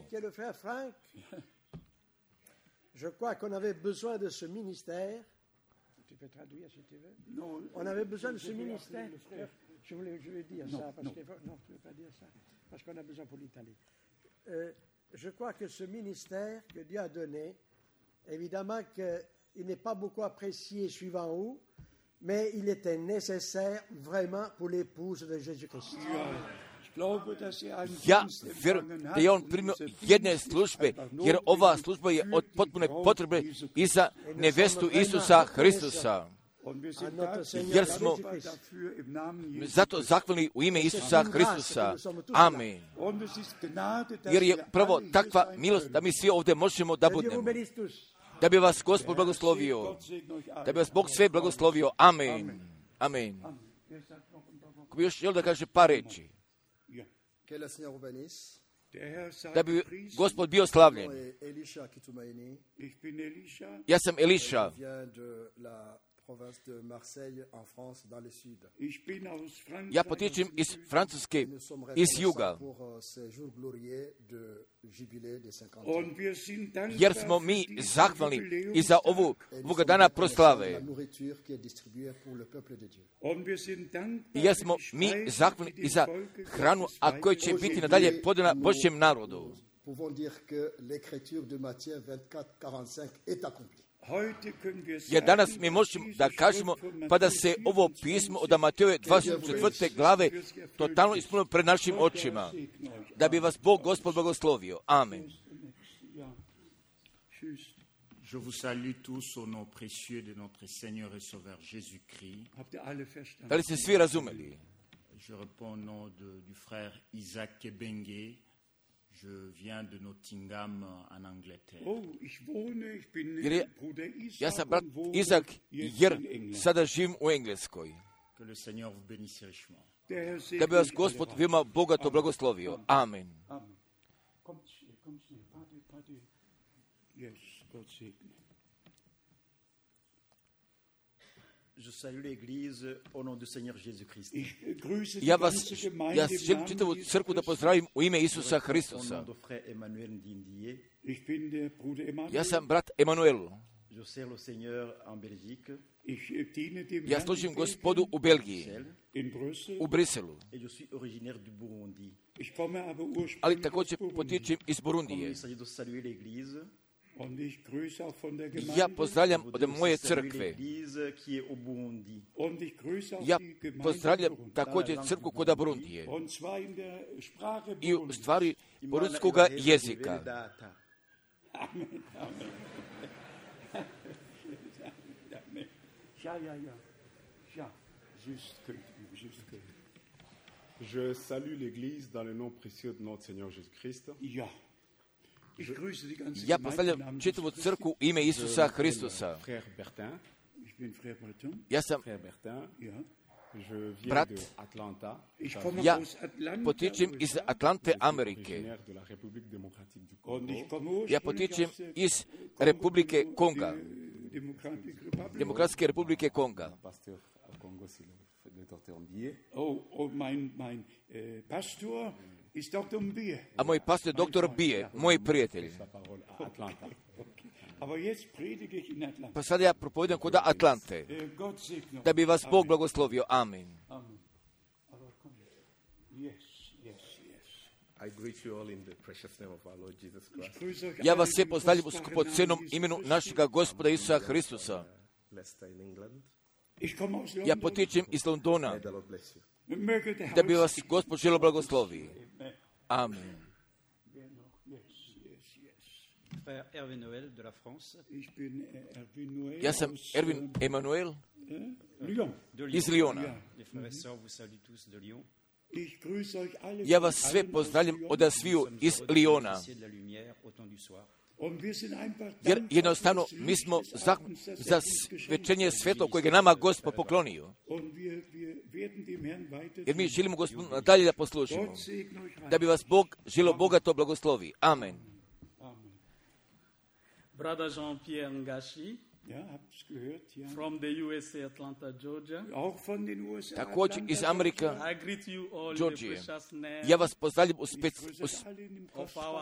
Je crois qu'on avait besoin de ce ministère. Tu peux traduire si tu veux. Non, on avait besoin de ce ministère. Je voulais, je voulais dire non, ça parce non. que non, tu ne peux pas dire ça parce qu'on a besoin pour l'Italie. Euh, je crois que ce ministère que Dieu a donné, évidemment qu'il n'est pas beaucoup apprécié suivant où, mais il était nécessaire vraiment pour l'épouse de Jésus-Christ. Ja vjerujem da je on primio jedne službe, jer ova služba je od potpune potrebe i za nevestu Isusa Hristusa. Jer smo zato zahvalni u ime Isusa Hristusa. Amen. Jer je prvo takva milost da mi svi ovdje možemo da budemo. Da bi vas Gospod blagoslovio. Da bi vas Bog sve blagoslovio. Amen. Amen. Ko bi još želio da kaže par reči. Da bi Gospod bio slavljen. Ja sam Eliša Ja potječem iz Francuske, iz juga, jer smo mi zahvalni i za ovu ovoga dana proslave. I jer smo mi zahvalni i za hranu, a koja će biti nadalje podana Božjem narodu. Jer danas mi možemo da kažemo pa da se ovo pismo od Matejove dvadeset četvrte glave totalno ispunilo pred našim očima. Da bi vas Bog Gospod blagoslovio. Amen. Je vous salue tous au nom précieux de notre Seigneur et Sauveur Jésus-Christ. Da li ste svi razumeli? Je réponds au nom de, du frère Isaac Kebenge. Je viens de Nottingham en Angleterre. Jer je, ja sam brat Izak, jer sada živim u Engleskoj. Que le Seigneur vous bénisse richement. Da bi vas Gospod veoma bogato blagoslovio. Amen. Je salue l'Église au nom du Seigneur Jésus-Christ. Ja vas, ja želim čitavu crkvu da pozdravim u ime Isusa Hristusa. Ja sam brat Emanuel. Je sers le Seigneur en Belgique. Ja služim Gospodu u Belgiji, u Briselu. Et je suis originaire du Burundi. Ali također potječem iz Burundije. Il s'agit de saluer l'Église. Ja pozdravljam od moje crkve. Ja pozdravljam također crkvu kod Burundije. I u stvari burundskog jezika. Je salue l'Église dans le nom précieux de notre Seigneur Jésus-Christ. Ja pozdravljam čitavu crkvu u ime Isusa Hristusa. Ja sam brat, ja potječem iz Atlante, Amerike. Ja potječem iz Republike Konga, Demokratske Republike Konga. A moj pastor je doktor Bije, moj prijatelj. Pa sada ja propovedam kod Atlante. Da bi vas Bog blagoslovio. Amen. Ja vas sve pozdravljam u skupocenom imenu našega Gospoda Isusa Hristusa. Ja potječem iz Londona. Da bi vas Gospod želio blagoslovi. Amen. Ja sam Erwin Emanuel iz Lyona. Ja vas sve pozdravljam od sviju iz Lyona. Jer jednostavno mi smo za, za svečenje svetlo kojeg je nama Gospod poklonio. Jer mi želimo Gospodu dalje da poslušimo. Da bi vas Bog želio bogato blagoslovi. Amen. Brother Jean-Pierre Ngashi, from the U S A, Atlanta, Georgia. Također iz Amerika, Georgije. Ja vas pozdravljam u, spec, u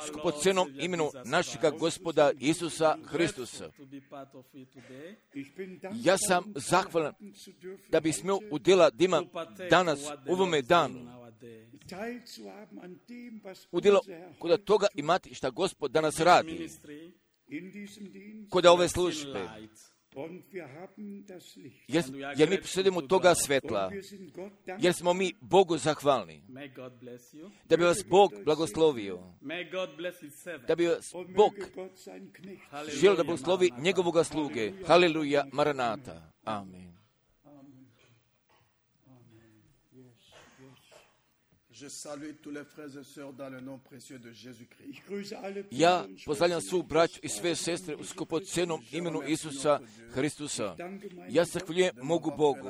skupocenom imenu našega Gospoda Isusa Hristusa. Ja sam zahvalan da bi smio udjela dima danas, u ovome danu. Udjela kod toga imati šta Gospod danas radi. Kod ove službe. Jer, jer mi posjedimo toga svetla. Jer smo mi Bogu zahvalni. Da bi vas Bog blagoslovio. Da bi vas Bog želio da blagoslovi njegovoga sluge. Haleluja, Maranata. Amen. Je salue tous les frères et sœurs dans le nom précieux de Jésus-Christ. Ja pozdravljam svu braću i sve sestre u skupocenom imenu Isusa Hristusa. Ja zahvaljujem mogu Bogu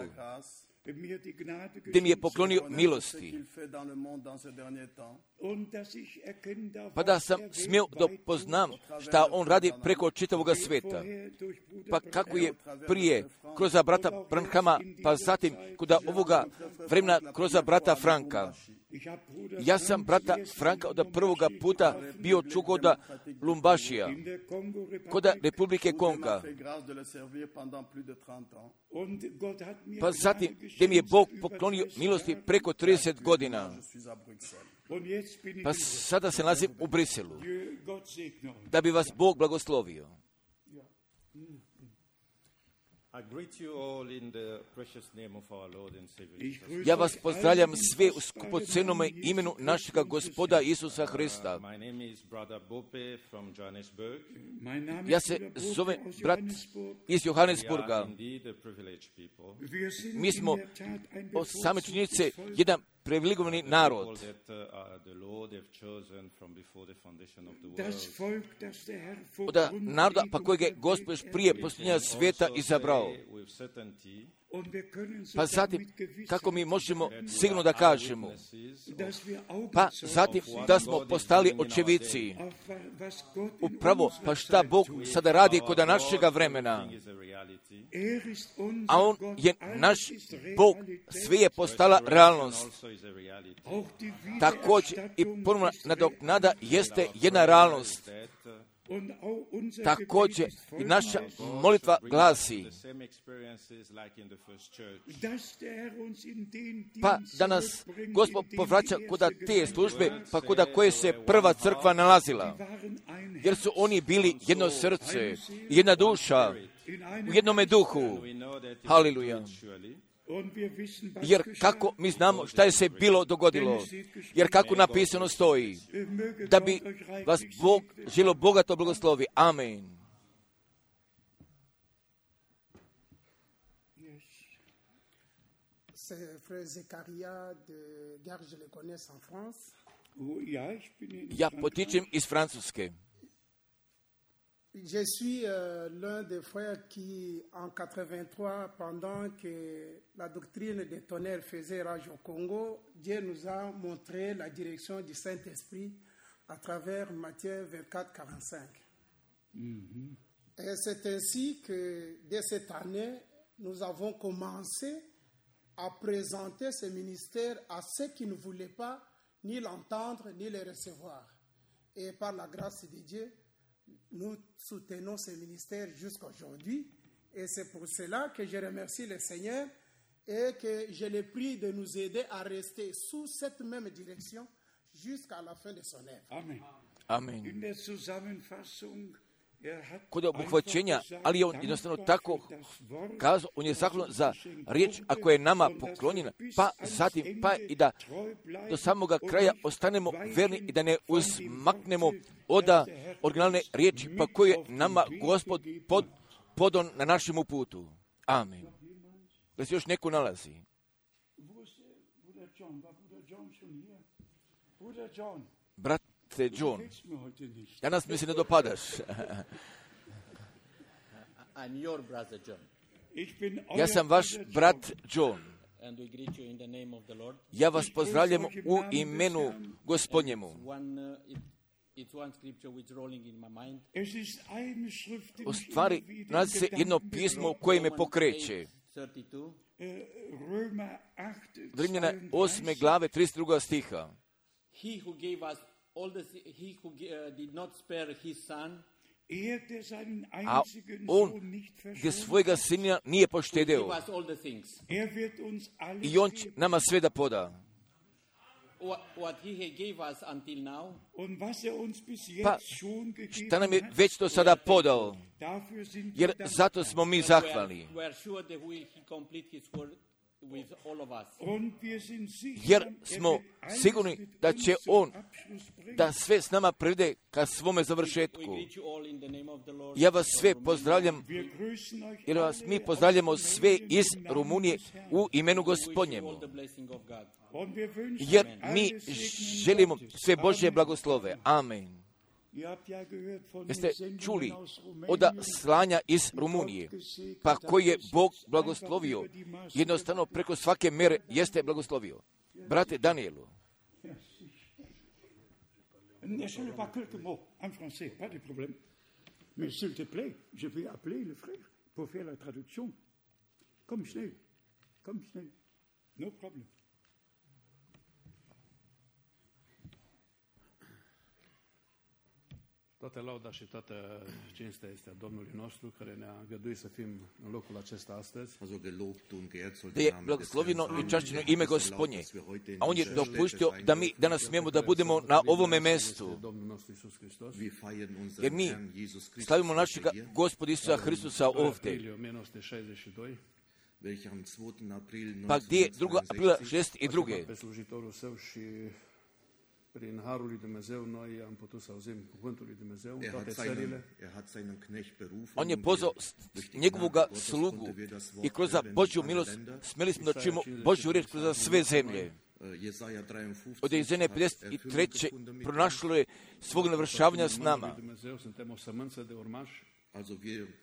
gdje mi je poklonio milosti. Pa da sam smio da poznam šta on radi preko čitavoga sveta. Pa kako je prije kroz brata Branhama, pa zatim kod ovoga vremena kroz brata Franka. Ja sam brata Franka od prvoga puta bio čuo kod Lumbašija, kod Republike Konga. Pa zatim gdje mi je Bog poklonio milosti preko trideset godina. Pa sada se nalazim u Briselu. Da bi vas Bog blagoslovio. Ja vas pozdravljam sve u skupocenome imenu našega Gospoda Isusa Hrista. Ja se zovem brat iz Johannesburga. Mi smo od same činjenice jedan privilegovani narod. Od naroda pa kojeg je Gospod još prije posljednja svijeta izabrao. Pa zatim, kako mi možemo sigurno da kažemo? Pa zatim, da smo postali očevici. Upravo, pa šta Bog sada radi kod našega vremena? A On je naš Bog, sve je postala realnost. Također i ponovna nadoknada jeste jedna realnost. Također i naša molitva glasi, pa da nas Gospod povraća kuda te službe, pa kuda koje se prva crkva nalazila. Jer su oni bili jedno srce, jedna duša, u jednome duhu. Haleluja. Jer kako mi znamo šta je se bilo dogodilo, jer kako napisano stoji, da bi vas Bog želio bogato blagoslovi. Amen. Ja potičem iz Francuske. Je suis euh, l'un des frères qui, en quatre-vingt-trois, pendant que la doctrine des tonnerres faisait rage au Congo, Dieu nous a montré la direction du Saint-Esprit à travers Matthieu vingt-quatre quarante-cinq. Mm-hmm. Et c'est ainsi que, dès cette année, nous avons commencé à présenter ce ministère à ceux qui ne voulaient pas ni l'entendre, ni le recevoir. Et par la grâce de Dieu, nous soutenons ce ministère jusqu'à aujourd'hui et c'est pour cela que je remercie le Seigneur et que je le prie de nous aider à rester sous cette même direction jusqu'à la fin de son œuvre. Amen. Amen. Kod obuhvaćenja, ali on jednostavno tako kazao, on je zahvalan za riječ, ako je nama poklonjena, pa zatim, pa i da do samoga kraja ostanemo verni i da ne uzmaknemo od originalne riječi, pa koje nama Gospod pod, podon na našemu putu. Amen. Da se još neko nalazi. Brat John, danas mi se ne dopadaš. Ja sam vaš brat John. Ja vas pozdravljam u imenu Gospodnjemu. U stvari, nalazi se jedno pismo koje me pokreće. Rimljana osme glave, trideset druga stiha. All the, he who uh, did not spare his son, a on gdje svojega sina nije poštedeo i on će nama sve da poda. Pa šta nam je već to sada podao, jer zato smo mi zahvalni. Jer smo sigurni da će on da sve s nama privede ka svome završetku. Ja vas sve pozdravljam, jer vas mi pozdravljamo sve iz Rumunije u imenu Gospodnjemu. Jer mi želimo sve Božje blagoslove. Amen. Jeste čuli od slanja iz Rumunije, pa koji je Bog blagoslovio, jednostavno preko svake mere jeste blagoslovio. Brate Danielu, Ne parle pas quelques mots en français, pas de problème. Mais s'il te plaît, je vais appeler le frère pour faire la traduction. Comme schnell, comme schnell. No problem. Toată lauda și toată cinstea este a Domnului nostru, care ne-a îngăduit să fim în locul acesta astăzi. Da je blagoslovljeno i čašćeno ime Gospodnje, a On je dopuštio da mi danas smijemo da budemo na ovome mestu, jer mi slavimo našeg Gospoda Isusa Hristusa ovdje. Pa gdje je druga aprila šezdeset druge Prin harul lui Dumnezeu noi am putut să auzim cuvântul lui Dumnezeu în toate țările. On je pozvao njegovog slugu i kroz Božju milost smjeli smo da čujemo Božju riječ kroz sve zemlje. Od Jezaje pedeset tri. pronašlo je svog navršavanja s nama.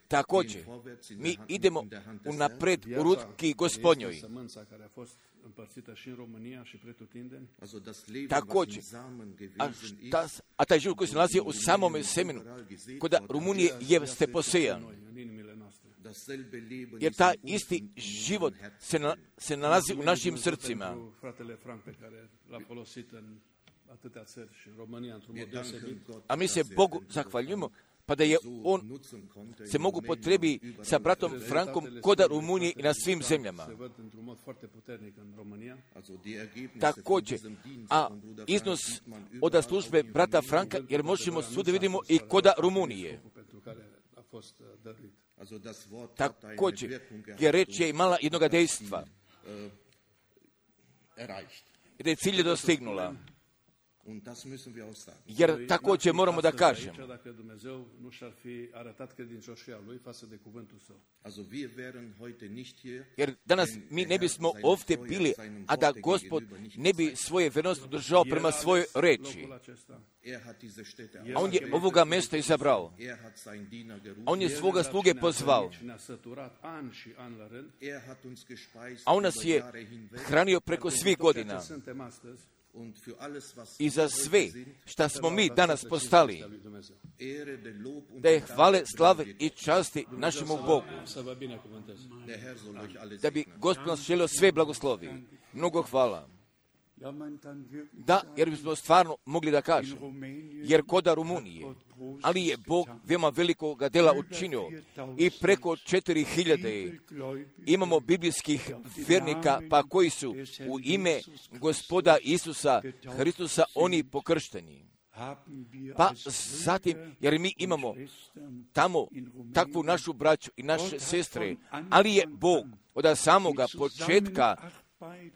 Također, mi idemo unapred u ruki Gospodnjoj. Također, a, šta, a taj život koji se nalazi u samome semenu, kod Rumunije jeste posejan. Jer taj isti život se, na, se nalazi u našim srcima. A mi se Bogu zahvaljujemo, pa da je on se mogu potrebi sa bratom Frankom kod Rumunije i na svim zemljama. Također, a iznos od službe brata Franka, jer možemo svuda vidimo i kod Rumunije. Također, jer reč je imala jednoga dejstva. I da je cilj dostignula. Jer također moramo da kažemo. Jer danas mi ne bismo ovdje bili, a da Gospod ne bi svoje vjernost držao prema svojoj reči. A On je ovoga mjesta izabrao. A On je svoga sluge pozvao. A On nas je hranio preko svih godina. I za sve šta smo mi danas postali, da je hvale, slave i časti našemu Bogu. Da bi Gospod nas želio sve blagoslovi. Mnogo hvala. Da, jer bismo stvarno mogli da kažemo, jer koda Rumunije, ali je Bog veoma velikog dela učinio i preko četiri hiljade imamo biblijskih vjernika, pa koji su u ime Gospoda Isusa Hristusa oni pokršteni. Pa zatim, jer mi imamo tamo takvu našu braću i naše sestre, ali je Bog od samoga početka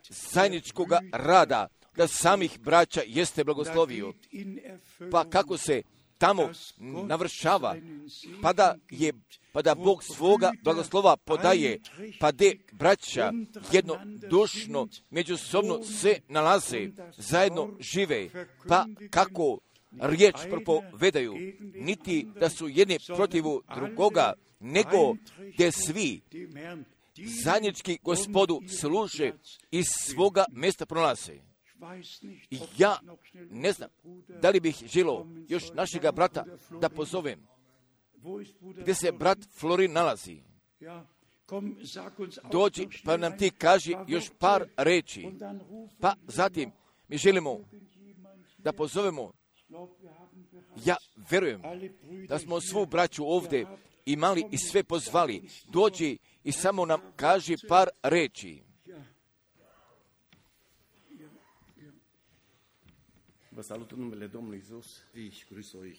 zajedničkog rada, da samih braća jeste blagoslovio. Pa kako se tamo navršava, pa da, je, pa da Bog svoga blagoslova podaje, pa de braća jednodušno međusobno se nalaze, zajedno žive, pa kako riječ propovedaju, niti da su jedni protivu drugoga, nego gdje svi zajednički Gospodu služe iz svoga mjesta pronalaze. I ja ne znam da li bih želio još našega brata da pozovem. Gdje se brat Florin nalazi? Dođi pa nam ti kaži još par reči. Pa zatim mi želimo da pozovemo. Ja verujem da smo svu braću ovdje imali i sve pozvali. Dođi i samo nam kaži par reči.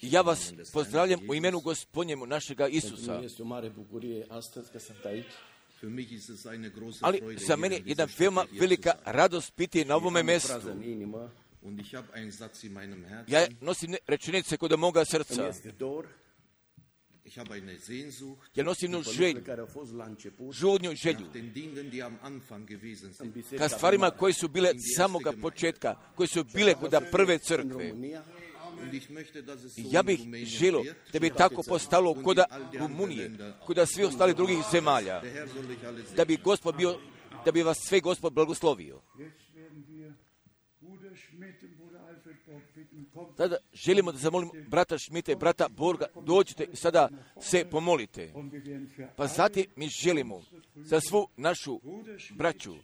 Ja vas pozdravljam u imenu Gospodnjemu našega Isusa. Ali za mene je jedna veoma velika radost biti na ovome mjestu. Ja nosim rečenice kod moga srca. Ja nosim jednu želju, žudnju želju, ka stvarima koje su bile samoga početka, koje su bile kod prve crkve. Ja bih želio da bi tako postalo kod Rumunije, kod svih ostalih drugih zemalja, da bi Gospod bio, da bi vas sve Gospod blagoslovio. Sada želimo da zamolimo brata Šmita i brata Borga, dođite i sada se pomolite. Pa zatim mi želimo za svu našu braću,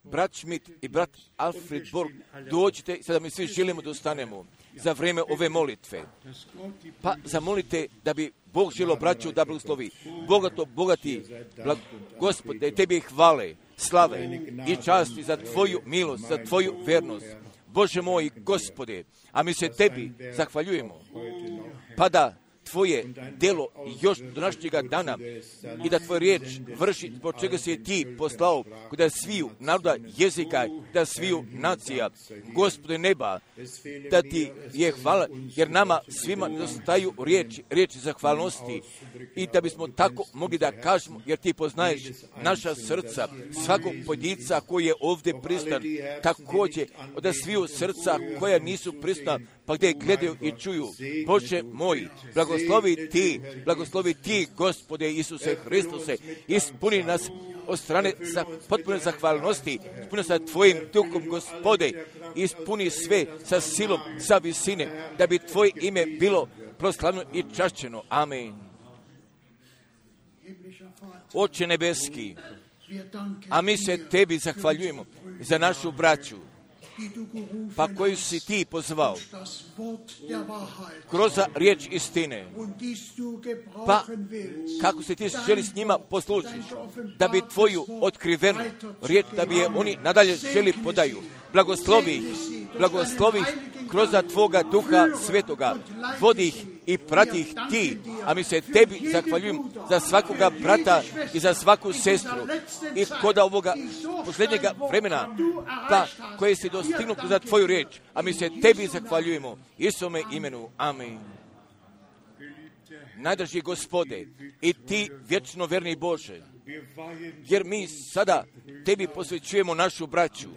brat Šmit i brat Alfred Borg, dođite i sada mi svi želimo da ostanemo za vrijeme ove molitve. Pa zamolite da bi Bog želio braću da blagoslovi. Bogato, bogati, blag, Gospod, da je tebi hvale, slave i časti za tvoju milost, za tvoju vernost. Bože moj, Gospode, a mi se tebi zahvaljujemo, pa da tvoje delo još do današnjega dana i da tvoj riječ vrši zbog čega si je ti poslao da sviju naroda jezika, da sviju nacija, Gospode neba, da ti je hvala, jer nama svima dostaju riječi, riječi zahvalnosti i da bismo tako mogli da kažemo, jer ti poznaješ naša srca, svakog pojedinca koji je ovdje pristan, također od sviju srca koja nisu prisutna, pa gdje gledaju i čuju. Bože moj, blagoslovi ti, blagoslovi ti, Gospode Isuse Hristuse, ispuni nas od strane za potpune zahvalnosti, ispuni sa tvojim duhom, Gospode, ispuni sve sa silom, sa visine, da bi tvoje ime bilo proslavljeno i čašćeno. Amen. Oče nebeski, a mi se tebi zahvaljujemo za našu braću, pa koju si ti pozvao kroz riječ istine, pa kako se ti želi s njima poslužiti, da bi tvoju otkrivenu riječ, da bi je oni nadalje želi podaju. Blagoslovi ih, blagoslovi ih kroz tvoga duha svetoga, vodi ih i prati ih ti, a mi se tebi zahvaljujem za svakoga brata i za svaku sestru i kod ovoga posljednjega vremena, pa koje si dostignuo za tvoju riječ, a mi se tebi zahvaljujemo. Isome imenu. Amen. Najdraži Gospode, i ti vječno verni Bože, jer mi sada tebi posvećujemo našu braću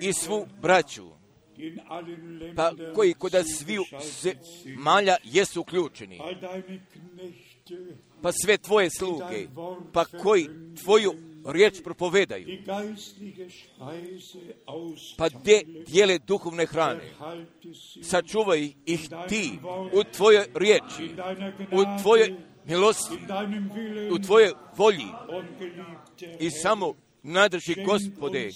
i svu braću, pa koji kod sviju zemalja jesu uključeni, pa sve tvoje sluge, pa koji tvoju riječ propovedaju, pa gdje dijele duhovne hrane, sačuvaj ih ti u tvojoj riječi, u tvojoj milosti, u tvojoj volji i samo najdraži Gospode,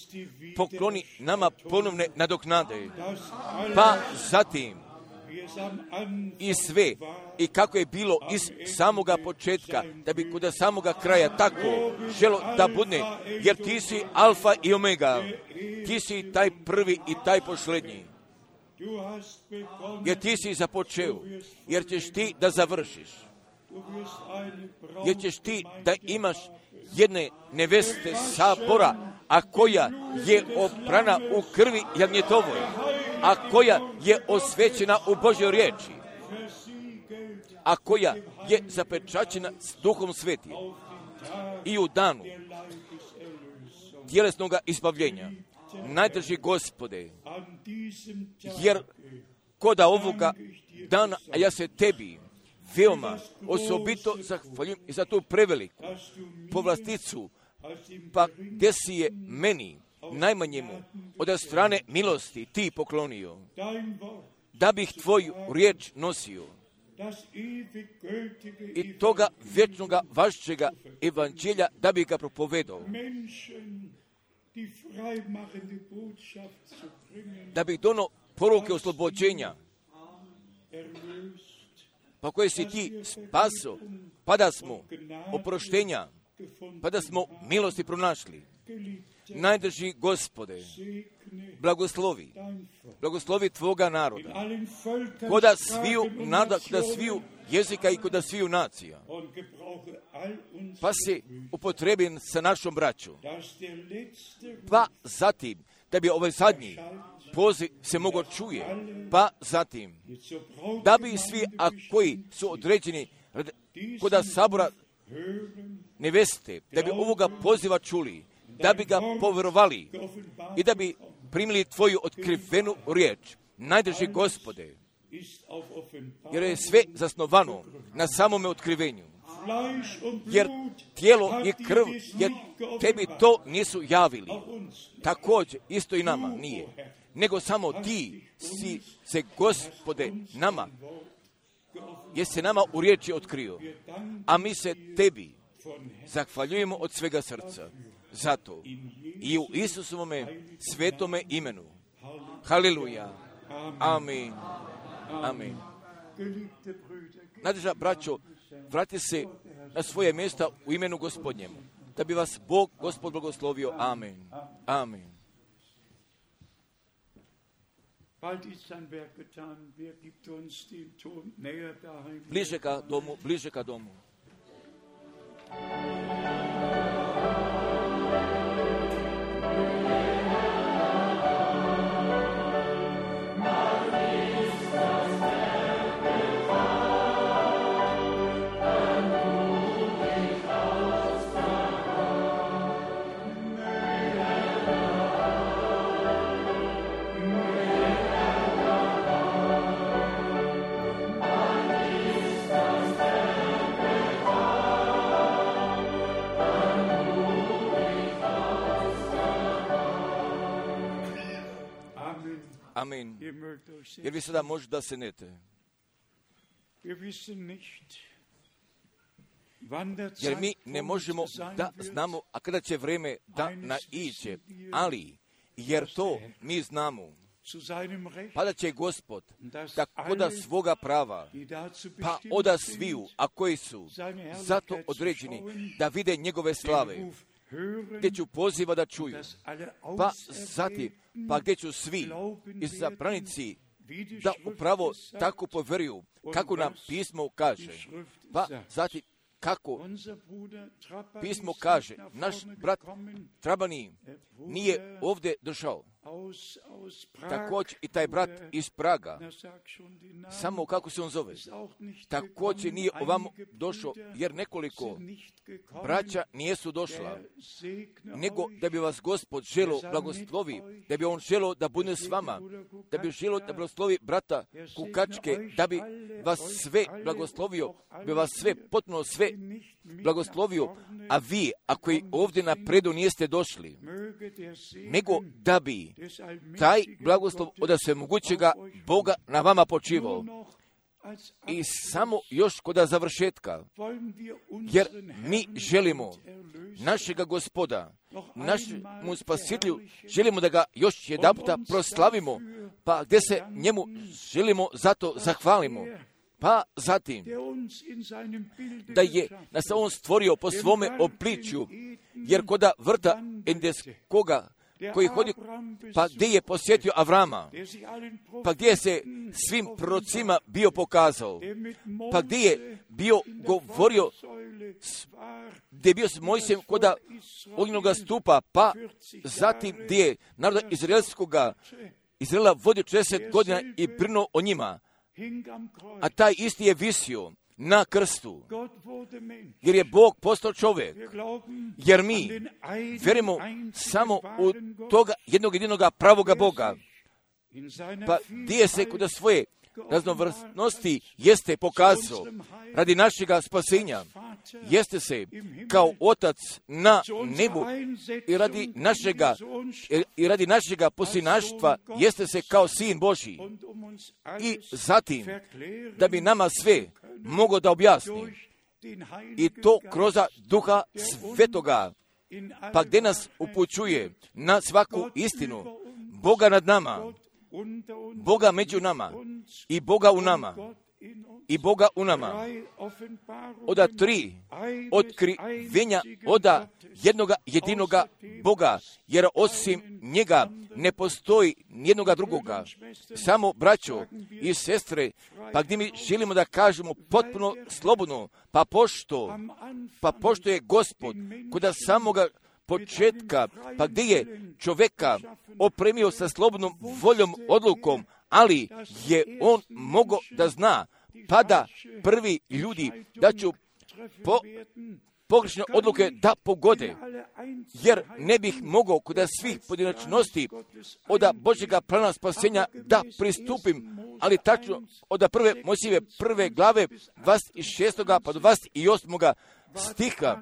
pokloni nama ponovne nadoknade, pa zatim i sve, i kako je bilo iz samoga početka, da bi kod samoga kraja tako želo da bude, jer ti si alfa i omega, ti si taj prvi i taj posljednji, jer ti si započeo, jer ćeš ti da završiš, jer ćeš ti da imaš jedne neveste sabora, a koja je oprana u krvi jagnjetovoj, a koja je osvećena u Božjoj riječi, a koja je zapečaćena s Duhom Svetim i u danu tjelesnog izbavljenja. Najdraži Gospode, jer koda ovoga dana, a ja se tebi veoma osobito zahvaljujem i za tu preveliku povlasticu, pa gdje si je meni najmanjemu od strane milosti ti poklonio, da bih tvoju riječ nosio i toga vječnoga vašćega evanđelja da bih ga propovedao, da bih dono poruke oslobođenja, pa koje si ti spaso, pa da smo oproštenja, pa da smo milosti pronašli. Najdraži Gospode, blagoslovi, blagoslovi tvoga naroda, koda sviju naroda, koda sviju jezika i koda sviju nacija, pa se upotrebi sa našom braćom, pa zatim, da bi ovaj zadnji poziv se mogo čuje, pa zatim, da bi svi, a koji su određeni koda sabora neveste, da bi ovoga poziva čuli, da bi ga povjerovali i da bi primili tvoju otkrivenu riječ, najdrži Gospode, jer je sve zasnovano na samome otkrivenju. Jer tijelo i krv, jer tebi to nisu javili. Također, isto i nama nije. Nego samo ti si se, Gospode, nama, jer se nama u riječi otkrio. A mi se tebi zahvaljujemo od svega srca. Zato i u Isusovome svetome imenu. Haleluja. Amin. Amin. Nadeža, braćo, vrati se na svoje mjesta u imenu Gospodnjem, da bi vas Bog, Gospod, blagoslovio. Amin. Amin. Bliže ka domu, bliže ka domu. Amin. Jer vi sada možete da se nete. Jer mi ne možemo da znamo, a kada će vrijeme da naiđe, ali jer to mi znamo, pa da će Gospod tako da svoga prava, pa oda sviju, a koji su zato određeni da vide njegove slave, gdje ću poziva da čuju, pa zatim, pa gdje ću svi izabranici da upravo tako poveruju, kako nam pismo kaže, pa zatim kako pismo kaže, naš brat Trabani nije ovdje došao. Također i taj brat iz Praga, samo kako se on zove, također nije ovamo došao, jer nekoliko braća nijesu došla, nego da bi vas Gospod želo blagoslovi, da bi on želo da bude s vama, da bi želo da blagoslovi brata Kukačke, da bi vas sve blagoslovio, bi vas sve, potpuno sve blagoslovio, a vi, ako i ovdje napredu nijeste došli, nego da bi taj blagoslov od svemogućega Boga na vama počivao. I samo još kod završetka, jer mi želimo našega Gospoda, našemu Spasitelju, želimo da ga još jedanputa proslavimo, pa gdje se njemu želimo zato zahvalimo. Pa zatim, da je nas on stvorio po svome obličju, jer koda vrta endeskoga, koji hodi, pa gdje je posjetio Avrama, pa gdje je se svim prorocima bio pokazao, pa gdje je bio govorio, gdje je bio s Mojsijem koda ognjenoga stupa, pa zatim gdje je naroda izraelskoga, Izraela vodio četrdeset godina i brinuo o njima, a taj isti je visio na krstu, jer je Bog postao čovjek, jer mi vjerujemo samo u toga jednog jedinoga pravoga Boga, pa gdje se kod svoje raznovrsnosti jeste pokazao radi našega spasenja, jeste se kao Otac na nebu i radi našega, i radi našega posinaštva jeste se kao Sin Božji, i zatim da bi nama sve mogo da objasni, i to kroz Duha Svetoga, pa gdje nas upućuje na svaku istinu Boga nad nama, Boga među nama i Boga u nama i Boga u nama. Oda tri otkrivenja oda jednoga jedinoga Boga, jer osim njega ne postoji nijednoga drugoga. Samo braćo i sestre, pa gdje mi želimo da kažemo potpuno slobodno, pa pošto, pa pošto je Gospod kod samoga početka, pa gdje je čovjeka opremio sa slobodnom voljom, odlukom, ali je on mogao da zna, pa da prvi ljudi da ću po, pogrešne odluke da pogode, jer ne bih mogao kod svih pojedinačnosti od Božjega plana spasenja da pristupim, ali tačno od prve Mojsijeve prve glave dvadeset šestog pa do dvadeset osmog stiha.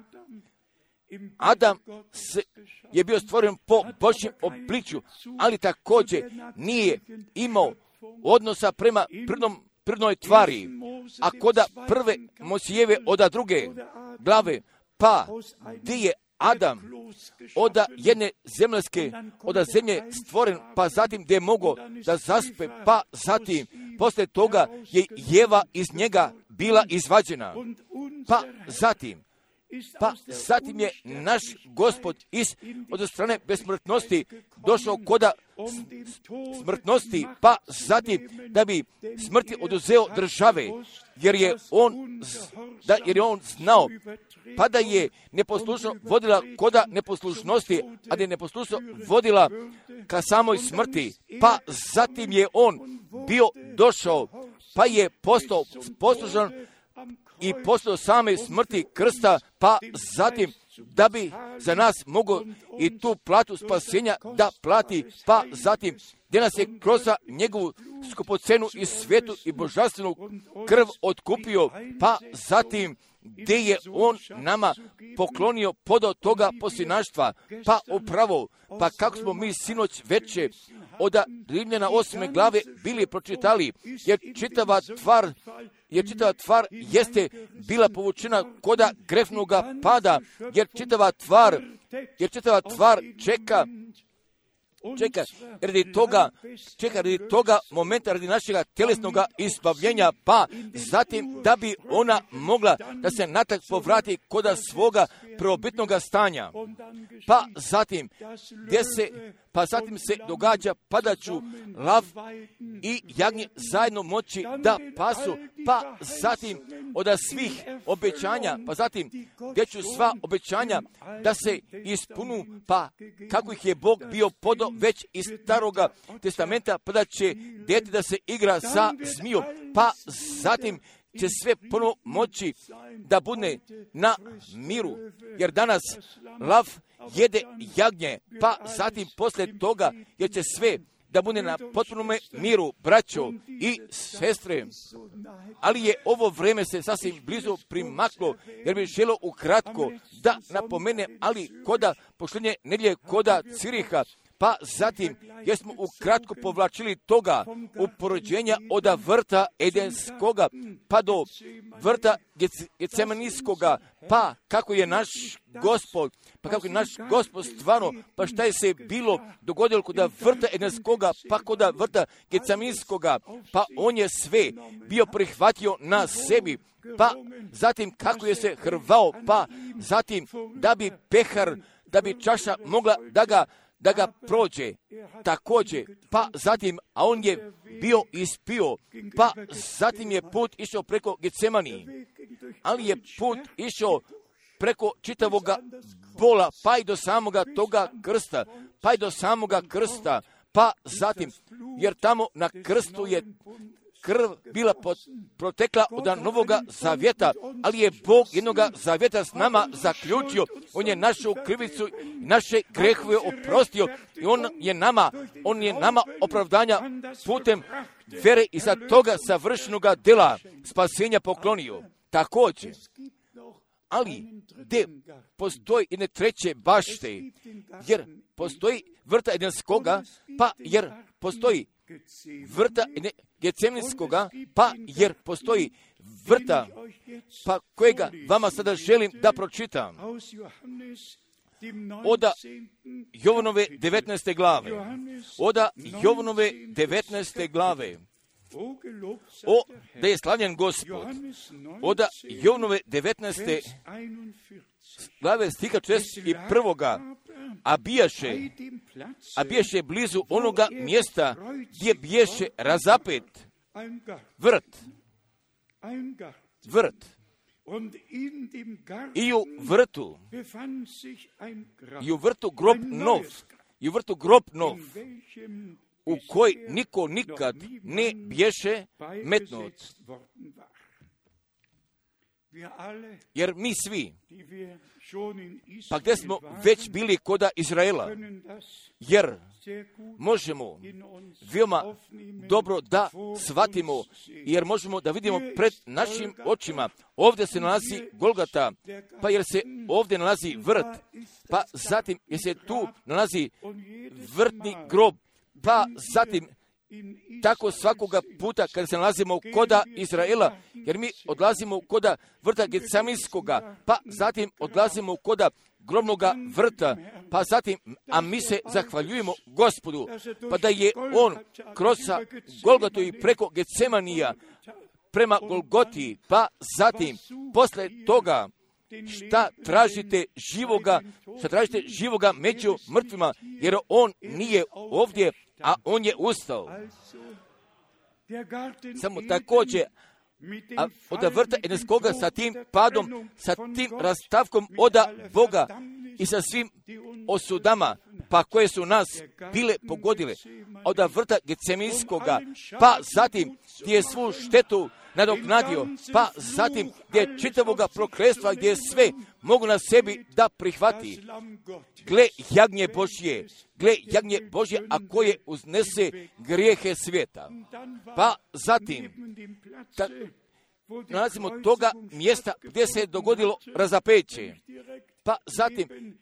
Adam se, je bio stvoren po Božjem obličju, ali također nije imao odnosa prema prirodnom, prirodnoj tvari. A koda prve Mojsijeve od druge glave, pa gdje je Adam od jedne zemljske, od zemlje stvoren, pa zatim gdje je mogao da zaspe, pa zatim poslije toga je Jeva iz njega bila izvađena. Pa zatim Pa zatim je naš Gospod iz od strane besmrtnosti došao koda smrtnosti, pa zatim da bi smrti oduzeo države, jer je on, da, jer je on znao, pa da je neposlušno vodila koda neposlušnosti, a da je neposlušno vodila ka samoj smrti, pa zatim je on bio došao, pa je postao poslušan i poslije same smrti krsta, pa zatim da bi za nas mogao i tu platu spasenja da plati, pa zatim gdje nas je kroz njegovu skupocenu i svetu i božanstvenu krv otkupio, pa zatim gdje je on nama poklonio podao toga posljednaštva, pa upravo, pa kako smo mi sinoć veče od Rimljana osme glave bili pročitali, jer čitava tvar, jer čitava tvar jeste bila povučena koda grefnoga pada, jer čitava tvar, jer čitava tvar čeka, čeka radi toga, čeka radi toga momenta, radi našega tjelesnog izbavljenja, pa zatim da bi ona mogla da se natrag povrati koda svoga prvobitnog stanja. Pa zatim, gdje se, pa zatim se događa padaću lav i jagnje zajedno moći da pasu, pa zatim od svih obećanja, pa zatim gdje ću sva obećanja da se ispunu, pa kako ih je Bog bio podao već iz staroga testamenta, pa da će dete da se igra sa zmijom, pa zatim će sve ponovo moći da bude na miru, jer danas lav jede jagnje, pa zatim poslije toga jer će sve da bude na potpunome miru, braćo i sestre. Ali je ovo vrijeme se sasvim blizu primaklo, jer bih želio ukratko da napomene, ali koda pošljenje nedjelje koda Ciriha, pa zatim jer smo ukratko povlačili toga uporođenja od vrta Edenskoga pa do vrta Gecemanijskoga, pa kako je naš Gospod, pa kako je naš Gospod stvarno, pa šta je se bilo dogodilo kod vrta Edenskoga, pa kod vrta Gecemanijskoga, pa on je sve bio prihvatio na sebi, pa zatim kako je se hrvao, pa zatim da bi pehar, da bi čaša mogla da ga da ga prođe također, pa zatim, a on je bio ispio, pa zatim je put išao preko Gecemaniji, ali je put išao preko čitavoga bola, pa i do samoga toga krsta, pa i do samoga krsta, pa zatim, jer tamo na krstu je krv bila pot, protekla od novoga zavjeta, ali je Bog jednoga zavjeta s nama zaključio. On je našu krivicu, naše grehove oprostio i on je nama, on je nama opravdanja putem vere i za toga savršenoga dela spasenja poklonio. Također, ali gdje postoji jedne treće bašte, jer postoji vrta Edenskoga, pa jer postoji vrta Gecemanijskoga, pa jer postoji vrta, pa kojega vama sada želim da pročitam. Oda Jovanove devetnaeste glave. Oda Jovanove devetnaeste glave. O, da je slavljen Gospod. Oda Jovanove devetnaeste glave stiha četrdeset prvoga. A bijaše, a bijaše blizu onoga mjesta gdje biješe razapet vrt, vrt. I u vrtu, i u vrtu grob nov, i u vrtu grob nov, u koji niko nikad ne biješe metnut. Jer mi svi, pa gdje smo već bili koda Izraela, jer možemo veoma dobro da shvatimo, jer možemo da vidimo pred našim očima. Ovdje se nalazi Golgata, pa jer se ovdje nalazi vrt, pa zatim jer se tu nalazi vrtni grob, pa zatim tako svakoga puta kada se nalazimo koda Izraela, jer mi odlazimo koda vrta Getsemanskoga, pa zatim odlazimo koda grobnoga vrta, pa zatim, a mi se zahvaljujemo Gospodu, pa da je On kroz Golgatu i preko Getsemanija prema Golgoti, pa zatim, posle toga, šta tražite živoga, šta tražite živoga među mrtvima, jer On nije ovdje, a On je ustao. Samo također, a od vrta Edenskoga sa tim padom, sa tim rastavkom oda Boga i sa svim osudama, pa koje su nas bile pogodile, od vrta Getsemanskoga, pa zatim gdje je svu štetu nadoknadio, pa zatim gdje je čitavoga prokletstva, gdje je sve mogu na sebi da prihvati. Gle jagnje Božje, gle jagnje Božje, a koje uznese grijehe svijeta. Pa zatim, ta, nalazimo toga mjesta gdje se je dogodilo razapeće. Pa zatim,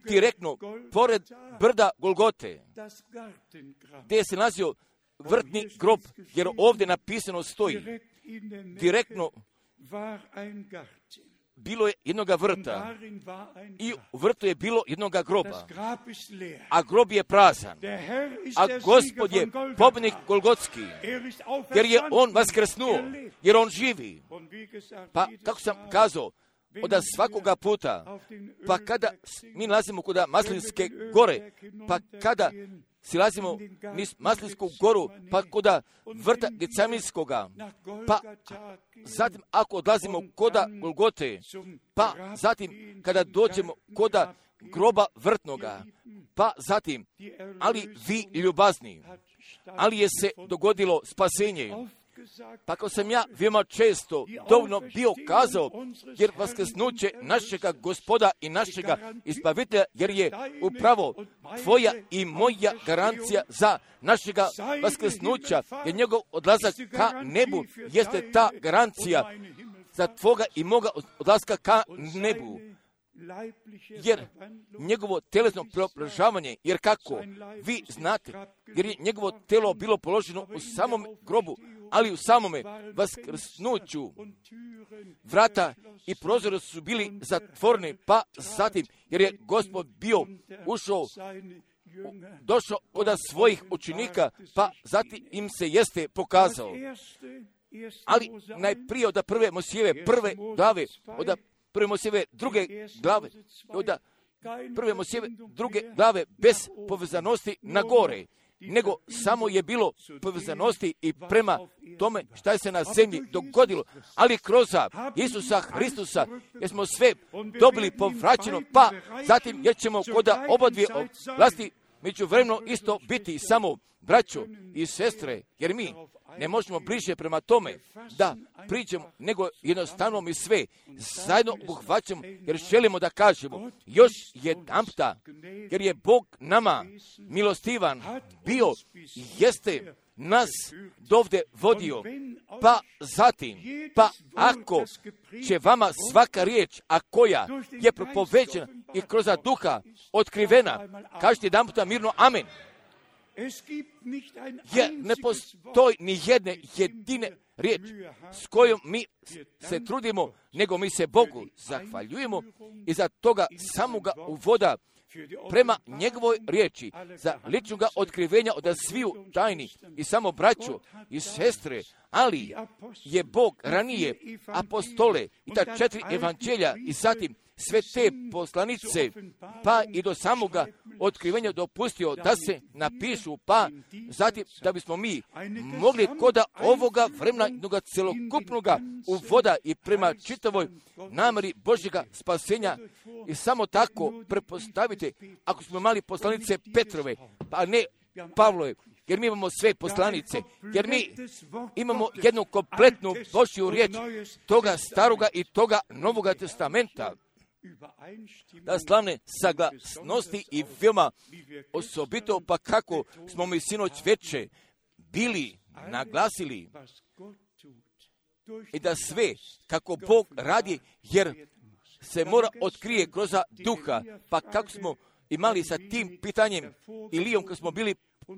direktno, pored brda Golgote, gdje se nalazio vrtni grob, jer ovdje napisano stoji, direktno bilo je jednoga vrta i u vrtu je bilo jednoga groba, a grob je prazan, a Gospod je pobjednik Golgotski, jer je On vaskrsnuo, jer On živi. Pa, kako sam kazao, od svakoga puta, pa kada mi nalazimo kod Maslinske gore, pa kada silazimo niz Maslinsku goru, pa koda vrta Getsemanskoga, pa zatim ako odlazimo koda Golgote, pa zatim kada dođemo koda groba vrtnoga, pa zatim, ali vi ljubazni, ali je se dogodilo spasenje. Pa kao sam ja veoma često dovoljno bio kazao, jer vaskrsnuće našega Gospoda i našega Izbavitelja, jer je upravo tvoja i moja garancija za našega vaskrsnuća, jer njegov odlazak ka nebu jeste ta garancija za tvoga i moga odlaska ka nebu. Jer njegovo telesno preobražavanje, jer kako vi znate, jer je njegovo telo bilo položeno u samom grobu, ali u samome vaskrsnuću vrata i prozori su bili zatvoreni, pa zatim, jer je Gospod bio ušao, došao od svojih učenika, pa zatim im se jeste pokazao. Ali najprije od prve Mojsijeve prve glave, od prve Mojsijeve druge glave, od prve Mojsijeve druge glave bez povezanosti na gore, nego samo je bilo povezanosti i prema tome šta je se na zemlji dogodilo, ali kroz Isusa Hristusa, jer smo sve dobili povraćeno, pa zatim jer ćemo kod oba dvije vlasti međuvremeno isto biti samo braćo i sestre, jer mi ne možemo bliže prema tome da priđemo, nego jednostavno mi sve zajedno obuhvaćamo, jer želimo da kažemo još jedanputa, jer je Bog nama milostivan bio, jeste nas dovde vodio, pa zatim, pa ako će vama svaka riječ, a koja je propoveđena i kroz duha otkrivena, kažete jedanputa mirno amen. Jer ne postoji ni jedne jedine riječ s kojom mi se trudimo, nego mi se Bogu zahvaljujemo i za toga samoga uvoda prema njegovoj riječi, za ličnoga otkrivenja od sviju tajni i samo braću i sestre, ali je Bog ranije apostole i ta četiri evanđelja i zatim sve te poslanice, pa i do samoga otkrivenja dopustio da se napišu, pa zatim da bismo mi mogli koda ovoga vremena jednoga celokupnoga uvoda i prema čitavoj namjeri Božjega spasenja i samo tako prepostavite, ako smo imali poslanice Petrove, pa ne Pavlove, jer mi imamo sve poslanice, jer mi imamo jednu kompletnu Božju riječ toga staroga i toga novoga testamenta, da slavne saglasnosti i veoma osobito pa kako smo mi sinoć veče bili naglasili i da sve kako Bog radi, jer se mora otkrije kroz duha, pa kako smo imali sa tim pitanjem Ilijom, kad smo bili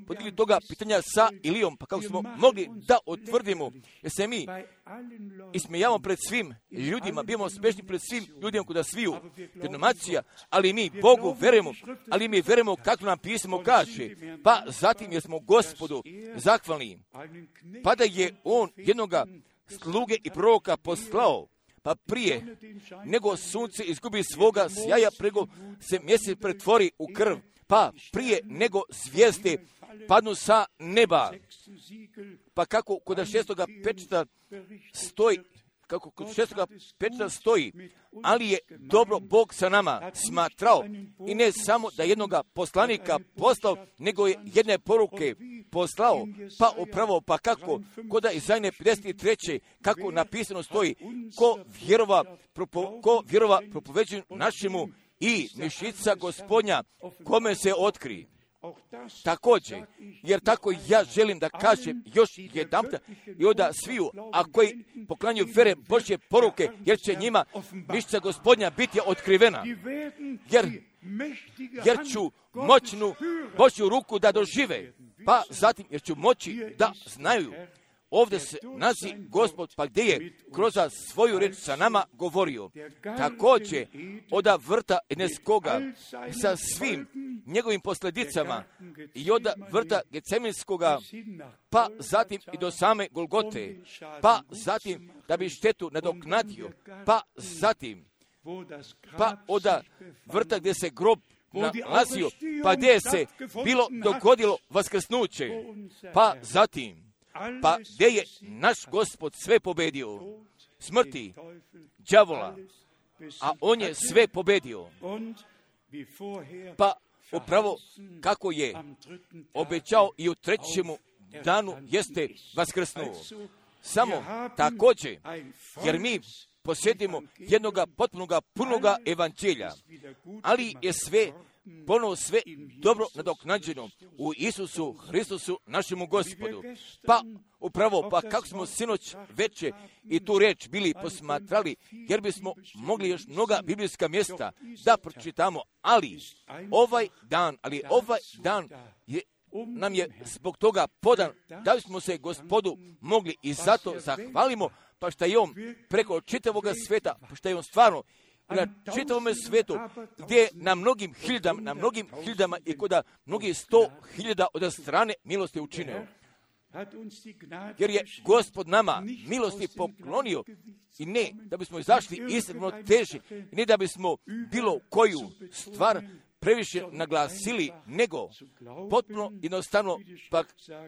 podigli toga pitanja sa Ilijom, pa kako smo mogli da otvrdimo, jer se mi ismijavamo pred svim ljudima, bivamo smešni pred svim ljudima kuda sviju denominacija, ali mi Bogu verujemo, ali mi verujemo kako nam pismo kaže, pa zatim jer smo Gospodu zahvalni, pa da je On jednoga sluge i proroka poslao, pa prije nego sunce izgubi svoga sjaja, prego se mjesec pretvori u krv, pa prije nego zvijezde padnu sa neba, pa kako kod šestoga pečata stoji, kako kod šestoga pečata stoji, ali je dobro Bog sa nama smatrao i ne samo da jednoga poslanika poslao, nego je jedne poruke poslao, pa upravo, pa kako kod Izajne pedeset treće kako napisano stoji, ko vjerova, propo, ko vjerova propoveđuju našemu i mišica Gospodnja kome se otkri. Također, jer tako ja želim da kažem još jedanputa i onda sviju, a koji poklanjaju vere Božje poruke, jer će njima mišica Gospodnja biti otkrivena, jer, jer ću moćnu Božju ruku da dožive, pa zatim jer ću moći da znaju. Ovdje se nazi Gospod, pa gdje je kroz svoju reč sa nama govorio. Također, od vrta Eneskoga sa svim njegovim posljedicama i od vrta Geceminskoga, pa zatim i do same Golgote, pa zatim da bi štetu nadoknadio, pa zatim, pa od vrta gdje se grob nalazio, pa gdje se bilo dogodilo vaskrsnuće, pa zatim, pa gdje je naš Gospod sve pobedio, smrti, đavola, a on je sve pobedio. Pa upravo kako je obećao i u trećemu danu jeste vaskrsnuo. Samo također, jer mi posjedimo jednoga potpunoga punoga evanđelja, ali je sve ponovo sve dobro nadoknađeno u Isusu Hristusu našemu Gospodu. Pa upravo, pa kako smo sinoć veče i tu reč bili posmatrali, jer bismo mogli još mnoga biblijska mjesta da pročitamo, ali ovaj dan, ali ovaj dan je, nam je zbog toga podan, da bismo se Gospodu mogli i zato zahvalimo, pa što je On preko čitavoga sveta, pa što je On stvarno na čitavome svetu, gdje na mnogim hiljadama, na mnogim hiljadama i kod mnogih sto hiljada od strane milosti učinio. Jer je Gospod nama milosti poklonio i ne da bismo izašli iz ravnoteže, ne da bismo bilo koju stvar previše naglasili, nego potpuno jednostavno pa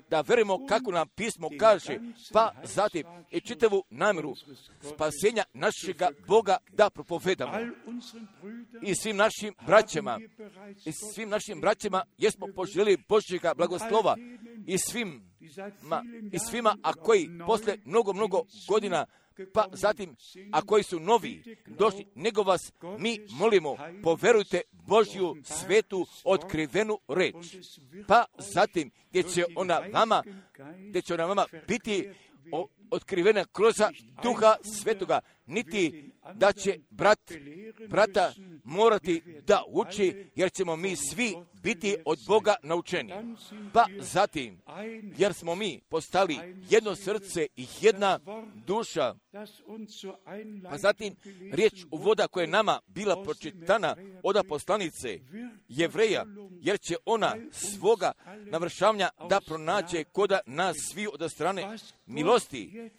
da verujemo kako nam pismo kaže, pa zatim i čitavu namjeru spasenja našega Boga da propovedamo. I svim našim braćama, i svim našim braćama jesmo poželjeli Božjega blagoslova i svim ma, i svima, a koji posle mnogo, mnogo godina, pa zatim, a koji su novi došli, nego vas mi molimo, poverujte Božju svetu otkrivenu reč. Pa zatim, gdje će ona vama, gdje će ona vama biti o, otkrivena kroz Duha Svetoga, niti da će brat, brata morati da uči, jer ćemo mi svi biti od Boga naučeni. Pa zatim, jer smo mi postali jedno srce i jedna duša, pa zatim riječ uvoda koja je nama bila pročitana od poslanice Jevreja, jer će ona svoga navršavanja da pronađe koda nas svi od strane milosti.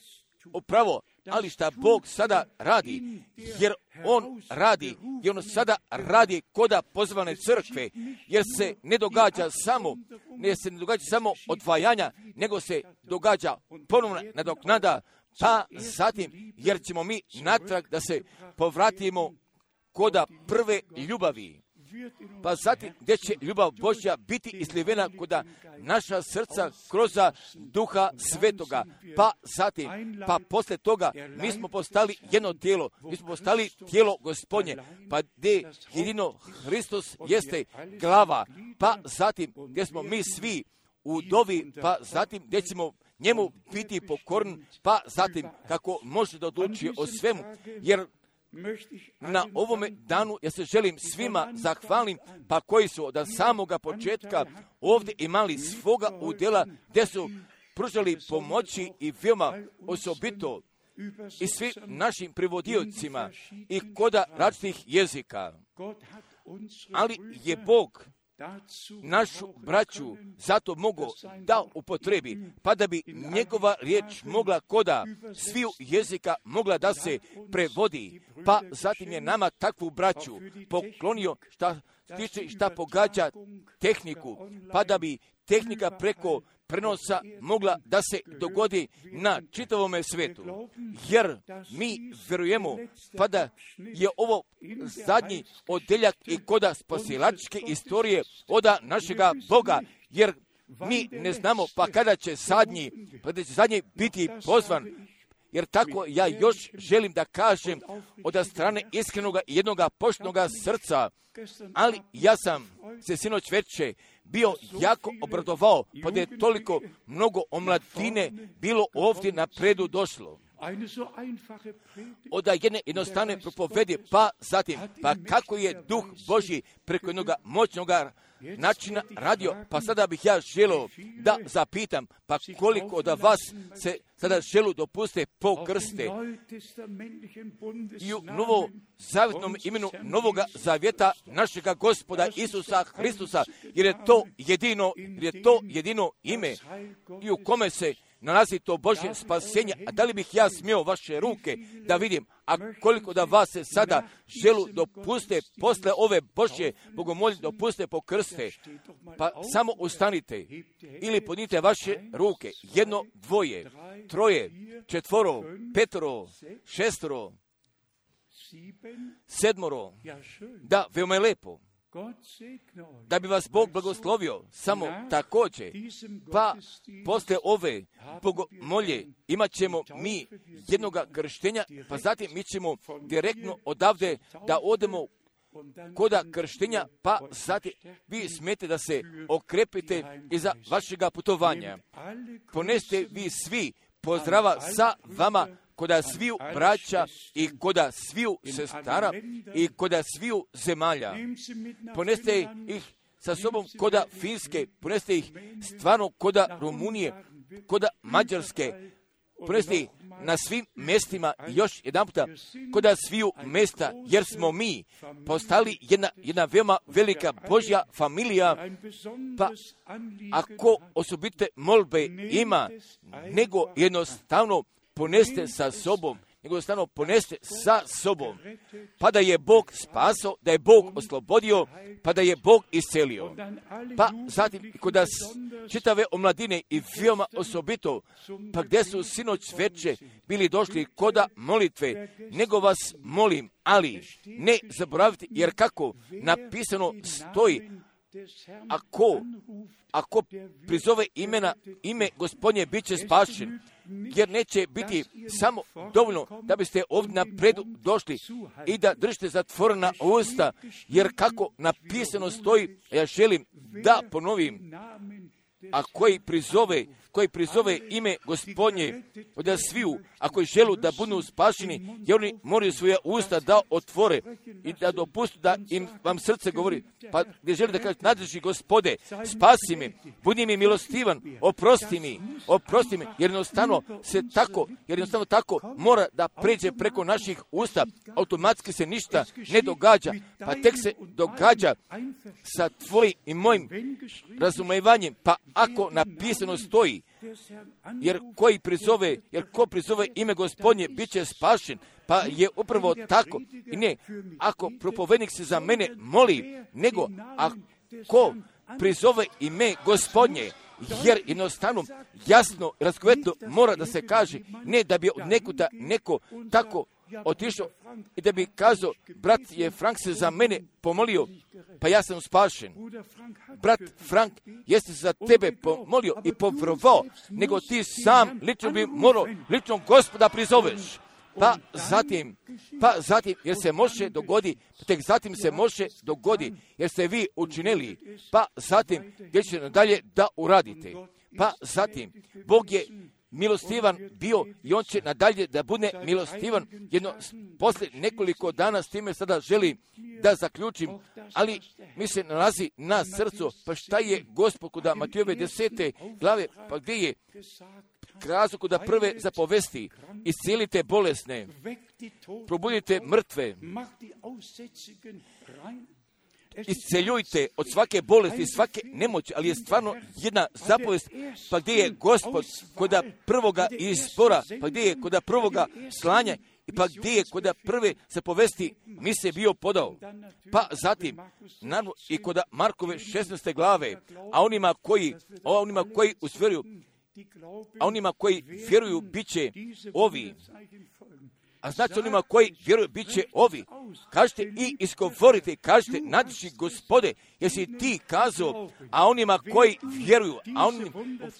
Upravo, ali šta Bog sada radi, jer On radi, i On sada radi koda pozvane crkve, jer se ne događa samo, ne se ne događa samo odvajanja, nego se događa ponovna nadoknada, pa zatim, jer ćemo mi natrag da se povratimo koda prve ljubavi. pa zatim gdje će ljubav Božja biti islivena kod naša srca kroz Duha Svetoga, pa zatim, pa posle toga mi smo postali jedno tijelo, mi smo postali tijelo Gospodnje, pa gdje jedino Hristos jeste glava, pa zatim gdje smo mi svi u dovi, pa zatim gdje ćemo njemu biti pokorn, pa zatim kako može da odluči o svemu, jer na ovome danu ja se želim svima zahvalim, pa koji su od samoga početka ovdje imali svoga udjela, gdje su pružali pomoći i veoma osobito i svim našim prevodiocima i koda različitih jezika. Ali je Bog našu braću zato mogao da upotrebi, pa da bi njegova riječ mogla koda sviju jezika mogla da se prevodi, pa zatim je nama takvu braću poklonio šta stiče šta pogađa tehniku, pa da bi tehnika preko prenosa mogla da se dogodi na čitavome svetu. Jer mi vjerujemo pa da je ovo zadnji odeljak i koda spasilačke istorije oda našega Boga, jer mi ne znamo pa kada će zadnji, pa da će zadnji biti pozvan. Jer tako ja još želim da kažem od strane iskrenoga i jednoga poštenoga srca, ali ja sam se sinoć veče bio jako obradovao, pa da je toliko mnogo omladine bilo ovdje na predu došlo. Od jedne jednostavne propovedi, pa zatim, pa kako je Duh Božji preko jednog moćnog načina radio, pa sada bih ja želio da zapitam, pa koliko od vas se sada želu dopuste po krste i u novo zavjetnom imenu Novoga Zavjeta našega Gospoda Isusa Hristusa, jer je to jedino, jer je to jedino ime i u kome se nalazi to Božje spasenje. A da li bih ja smio vaše ruke da vidim, a koliko da vas se sada želu dopuste posle ove Božje bogomolje dopuste po krste, pa samo ustanite ili podnite vaše ruke, jedno, dvoje, troje, četvoro, petoro, šestoro, sedmoro, da, veoma je lepo. Da bi vas Bog blagoslovio, samo također, pa posle ove bogomolje imat ćemo mi jednoga krštenja, pa zatim mi ćemo direktno odavde da odemo koda krštenja, pa zatim vi smijete da se okrepite iza vašega putovanja. Poneste vi svi pozdrava sa vama koda sviju braća i koda sviju sestara i koda sviju zemalja. Poneste ih sa sobom koda Finske, poneste ih stvarno koda Rumunije, koda Mađarske, poneste ih na svim mjestima još jedan puta koda sviju mjesta, jer smo mi postali jedna, jedna veoma velika Božja familija, pa ako osobite molbe ima, nego jednostavno poneste sa sobom, nego jednostavno poneste sa sobom, pa da je Bog spasao, da je Bog oslobodio, pa da je Bog iscelio. Pa zatim kod nas čitave omladine i veoma osobito, pa gdje su sinoć veče bili došli koda molitve, nego vas molim, ali ne zaboravite, jer kako napisano stoji, ako, ako prizove imena, ime Gospodnje bit će spašen, jer neće biti samo dovoljno da biste ovdje napredu došli i da držite zatvorena usta, jer kako napisano stoji, ja želim da ponovim, a koji prizove, koji prizove ime Gospodnje od sviju, a koji želu da budu spašeni, jer oni moraju svoje usta da otvore i da dopustu da im vam srce govori, pa gdje želi da kaže, nadrži Gospode, spasi me, budi mi milostivan, oprosti mi, oprosti mi, jer jednostavno se tako, jer jednostavno tako mora da pređe preko naših usta, automatski se ništa ne događa, pa tek se događa sa tvojim i mojim razumevanjem, pa ako napisano stoji, jer koji prizove, jer ko prizove ime Gospodnje bit će spašen, pa je upravo tako. I ne, ako propovednik se za mene moli, nego ako prizove ime Gospodnje, jer jednostavno jasno, razgovetno mora da se kaže, ne da bi od nekuda neko tako otišao i da bi kazao, brat je Frank se za mene pomolio, pa ja sam spašen. Brat Frank jeste za tebe pomolio i povjerovao, nego ti sam lično bi morao lično Gospoda prizoveš. Pa zatim, pa zatim, jer se može dogodi, tek zatim se može dogodi, jer ste vi učinili, pa zatim, gdje ćete nadalje da uradite. Pa zatim, Bog je milostivan bio i on će nadalje da bude milostivan. Jedno, poslije nekoliko dana s time sada želim da zaključim, ali mi se nalazi na srcu, pa šta je Gospod kod Matijove desete glave, pa gdje je kazao kod prve zapovesti, iscijelite bolesne, probudite mrtve, isceljujte od svake bolesti i svake nemoći, ali je stvarno jedna zapovest, pa gdje je Gospod kod prvoga izbora, pa gdje je kod prvoga slanja, i pa gdje je kod prve zapovesti mi se bio podao. Pa zatim, naravno, i kod Markove šesnaeste glave, a onima koji, a onima koji usvjeruju, a onima koji vjeruju bit će ovi. A znači onima koji vjeruju bit će ovi. Kažete i izgovorite, kažete nadiši Gospode, jesi ti kazao, a onima koji vjeruju, a oni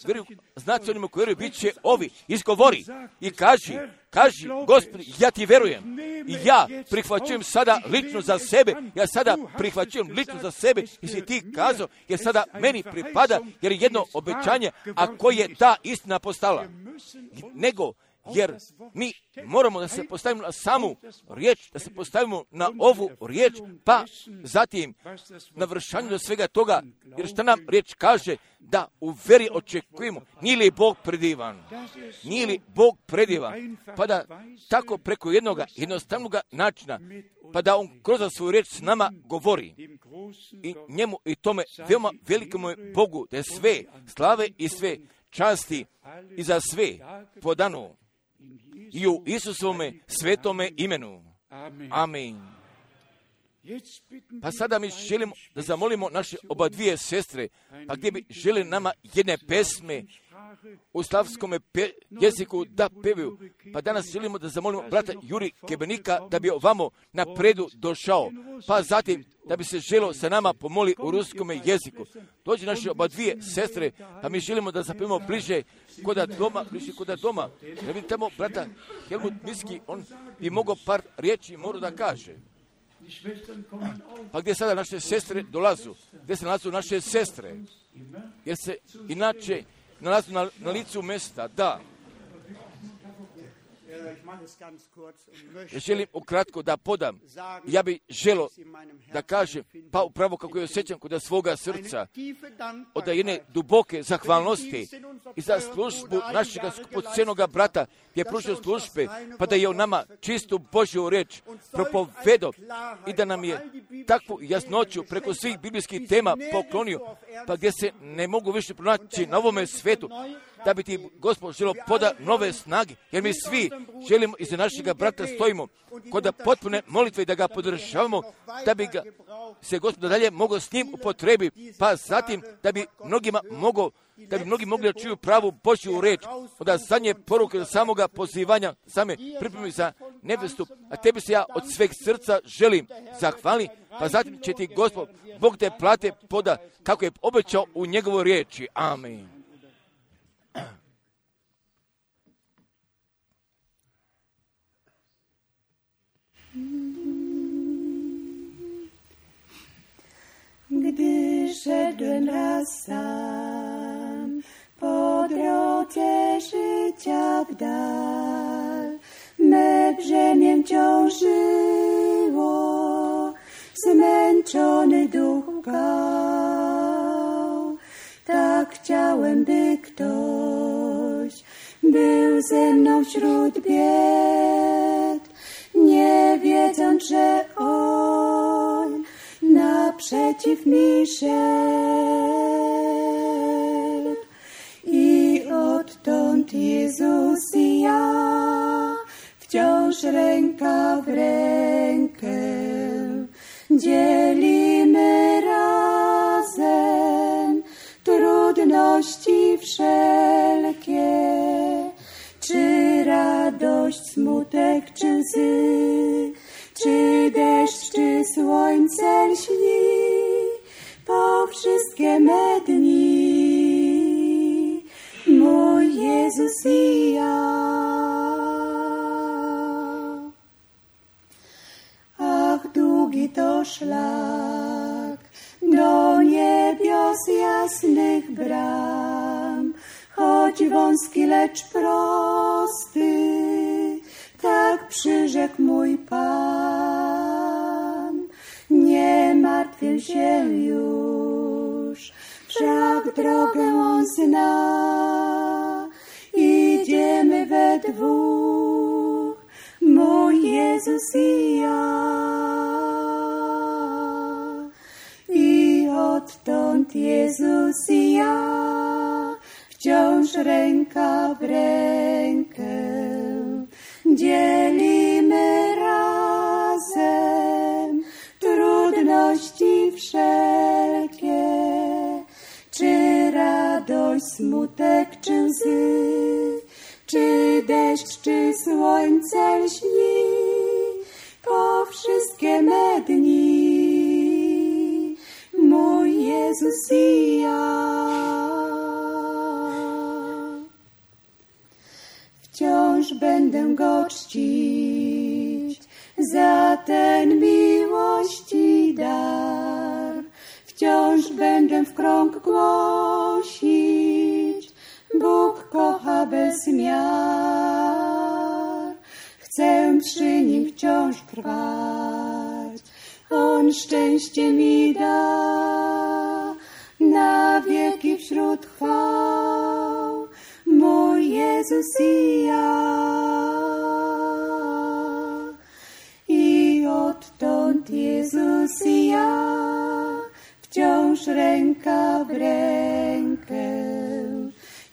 vjeruju, znači onima koji vjeruju bit će ovi. Izgovori i kaži, kaži Gospod, ja ti vjerujem i ja prihvaćujem sada lično za sebe, ja sada prihvaćujem lično za sebe, jesi ti kazao, jer sada meni pripada, jer je jedno obećanje, a koje je ta istina postala. Nego, jer mi moramo da se postavimo na samu riječ, da se postavimo na ovu riječ, pa zatim na vršanju do svega toga, jer šta nam riječ kaže, da u veri očekujemo, nije li Bog predivan, nije li Bog predivan, pa da tako preko jednog jednostavnog načina, pa da on kroz svoju riječ s nama govori i njemu i tome veoma velikom je Bogu, da je sve slave i sve časti i za sve podano i u Isusovome svetome imenu. Amen. Pa sada mi želimo da zamolimo naše oba dvije sestre, pa gdje bi želi nama jedne pesme u slavskom pe- jeziku da pevaju. Pa danas želimo da zamolimo brata Juri Kebenika da bi ovamo na predu došao. Pa zatim da bi se želo sa nama pomoli u ruskom jeziku. Dođe naše oba dvije sestre, pa mi želimo da zapevamo bliže koda doma, bliže koda doma. Da vidimo tamo brata Helmut Miski, on bi mogao par riječi moru da kaže. Pa gdje sada naše sestre dolazu? Gdje se nalazu naše sestre? Jer se inače nalazu na, na licu mjesta, da. Ja želim ukratko da podam. Ja bih želo da kažem, pa upravo kako je osjećam kod svoga srca, od jedne duboke zahvalnosti i za službu našeg skupocjenog brata, gdje je pružio službe, pa da je on nama čistu Božju riječ propovedao i da nam je takvu jasnoću preko svih biblijskih tema poklonio, pa gdje se ne mogu više pronaći na ovome svetu, da bi ti Gospod želio poda nove snage, jer mi svi želimo iza našega brata stojimo kod potpune molitve i da ga podržavamo, da bi ga se Gospod dalje mogao s njim upotrebi, pa zatim da bi mnogima mogao, da bi mnogi mogli da čuju pravu Božju riječ, onda zadnje poruke do samoga pozivanja, same pripremi za nebestu, a tebi se ja od sveg srca želim zahvali, pa zatim će ti Gospod, Bog te plate poda, kako je obećao u njegovoj riječi. Amen. Gdy szedłem raz sam po drodze życia w dal, me brzemię ciążyło, zmęczony duch łkał. Tak chciałem, by ktoś był ze mną wśród bied, nie wiedząc, że On naprzeciw mi szedł. I odtąd Jezus i ja wciąż ręka w rękę dzielimy razem trudności wszelkie, czy raz radość, smutek czy łzy, czy deszcz, czy słońce lśni, po wszystkie me dni, mój Jezus i ja. Ach, długi to szlak do niebios jasnych bram, choć wąski, lecz prosty, tak przyrzekł mój Pan. Nie martwię się już, wszak drogę On zna. Idziemy we dwóch, mój Jezus i ja. I odtąd Jezus i ja, wciąż ręka w rękę, dzielimy razem trudności wszelkie, czy radość, smutek, czy łzy, czy deszcz, czy słońce lśni, po wszystkie me dni, mój Jezus i ja. Wciąż będę Go czcić za ten miłości dar, wciąż będę w krąg głosić, Bóg kocha bez miar. Chcę przy Nim wciąż trwać, On szczęście mi da, na wieki wśród chwał, mój Jezus i ja. I odtąd Jezus i ja, wciąż ręka w rękę,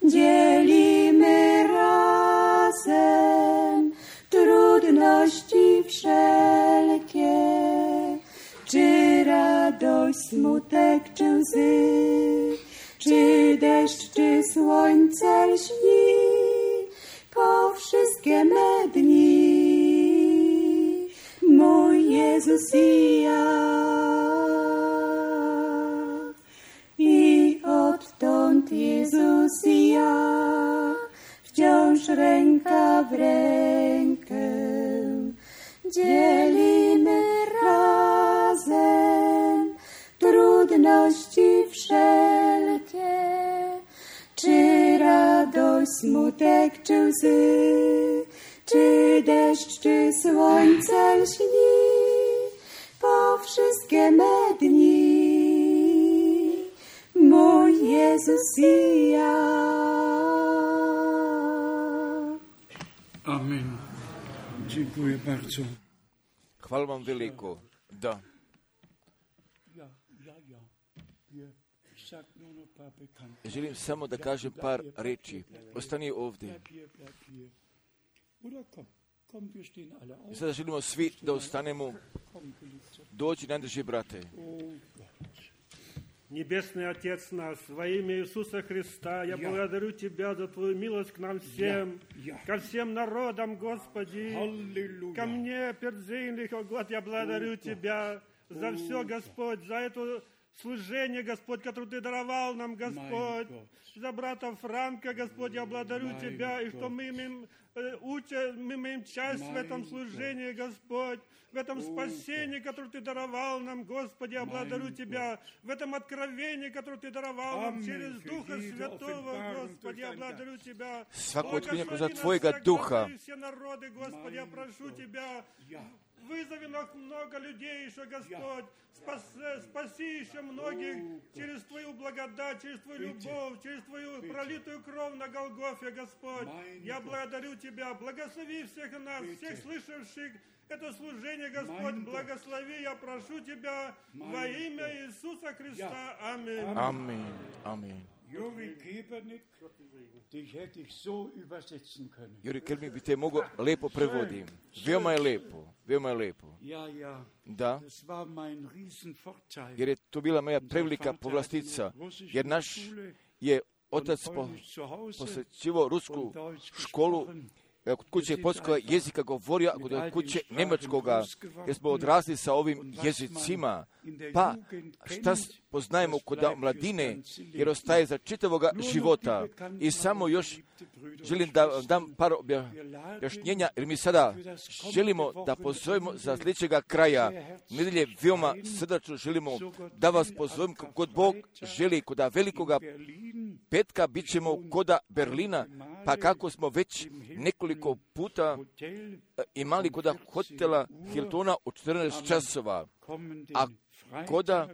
dzielimy razem trudności wszelkie, czy radość, smutek, czy łzy, czy deszcz, czy słońce lśni, po wszystkie me dni, mój Jezus i ja. I odtąd Jezus i ja, wciąż ręka w rękę, dzielimy razem trudności wszelkie, czy radość, smutek, czy łzy, czy deszcz, czy słońce lśni, po wszystkie me dni, mój Jezus i ja. Amen. Dziękuję bardzo. Hvala vam veliko. Da. Želim samo da kažem par reči. Ostani ovdje. I sada želimo svi da ostanemo. Dođi, najdrži brate. Небесный Отец наш, во имя Иисуса Христа, я благодарю Тебя за Твою милость к нам всем, ко всем народам, Господи, ко мне, пердзейных, о Год, я благодарю Тебя за все, Господь, за это служение, Господь, которое Ты даровал нам, Господь, за брата Франка, Господь, я благодарю Тебя, и что мы имеем, уча, мы имеем часть в этом служении, Господь, в этом спасении, которое Ты даровал нам, Господи, я благодарю Тебя, в этом откровении, которое Ты даровал нам через Духа Святого, Господи, я благодарю Тебя. Благослови нас всех, все народы, Господи, я прошу Тебя, вызови много людей еще, Господь, спаси, спаси еще многих через Твою благодать, через Твою любовь, через Твою пролитую кровь на Голгофе, Господь. Я благодарю Тебя, благослови всех нас, всех слышавших это служение, Господь, благослови, я прошу Тебя во имя Иисуса Христа. Аминь. Аминь. Аминь. Juri Kebernik, dich hätte ich so übersetzen können. Juri Kebernik bi te mogao lepo prevodim. Veoma je lepo, veoma je lepo. Ja, ja. Da, Das war mein Riesenvorteil. jer je to bila moja prevelika povlastica, jer naš je otac po, posjećivao rusku školu kod kuće poljskoga jezika govorio, a kod kuće njemačkoga, jer smo odrasli sa ovim jezicima. Pa šta poznajemo kod mladine, jer ostaje za čitavoga života. I samo još želim da vam dam par objašnjenja, jer mi sada želimo da pozovemo za sljedećega kraja nedelje, veoma srdačno želimo da vas pozovem kod Bog želi, kod velikoga petka bit ćemo koda Berlina, pa kako smo već nekoliko puta imali koda hotela Hiltona u četrnaest časova, a koda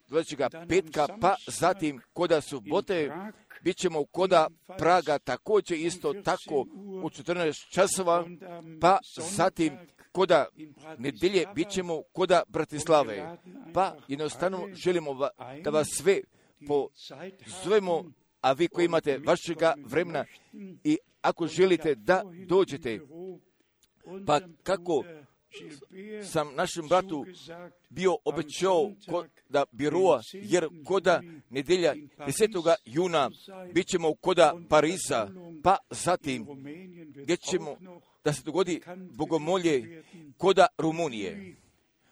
sljedećega petka, pa zatim koda subote, bit ćemo koda Praga također isto tako u četrnaest časova, pa zatim koda nedelje bit ćemo koda Bratislave. Pa jednostavno želimo da vas sve pozovemo, a vi koji imate vašega vremena i ako želite da dođete, pa kako sam našem bratu bio obećao koda Biroa, jer koda nedelja desetog juna bit ćemo koda Pariza, pa zatim gdje ćemo da se dogodi bogomolje koda Rumunije,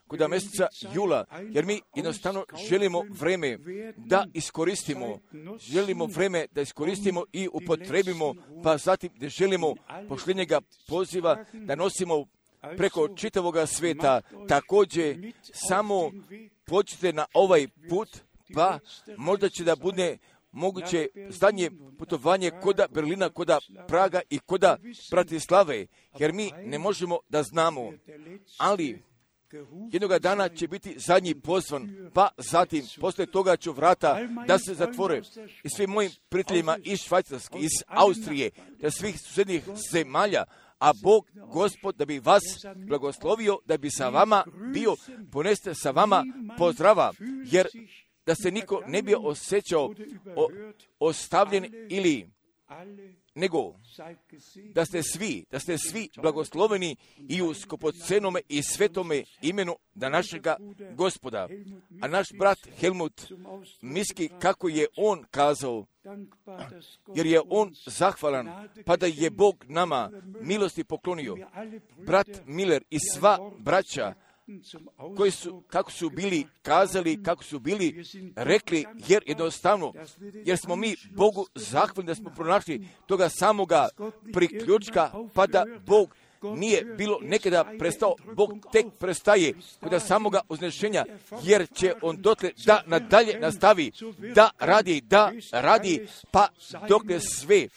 koda mjeseca jula, jer mi jednostavno želimo vreme da iskoristimo, želimo vreme da iskoristimo i upotrebimo, pa zatim da želimo pošljenjega poziva da nosimo preko čitavoga sveta. Također, samo počite na ovaj put, pa možda će da bude moguće zadnje putovanje koda Berlina, koda Praga i koda Bratislave, jer mi ne možemo da znamo, ali jednoga dana će biti zadnji pozvan, pa zatim, poslije toga ću vrata da se zatvore. I svim mojim prijateljima iz Švajcarske, iz Austrije, da svih susjednih zemalja, a Bog, Gospod, da bi vas blagoslovio, da bi sa vama bio, poneste sa vama pozdrava, jer da se niko ne bi osjećao o, ostavljen ili nego da ste svi, da ste svi blagosloveni i u skupocenome i svetome imenu da našega Gospoda. A naš brat Helmut misli kako je on kazao, jer je on zahvalan, pa da je Bog nama milosti poklonio. Brat Miller i sva braća koji su, kako su bili kazali, kako su bili rekli, jer jednostavno, jer smo mi Bogu zahvalni da smo pronašli toga samoga priključka, pa da Bog nije bilo nekada prestao, Bog tek prestaje kod samoga uznešenja, jer će on dotle da nadalje nastavi, da radi, da radi, pa dokle sve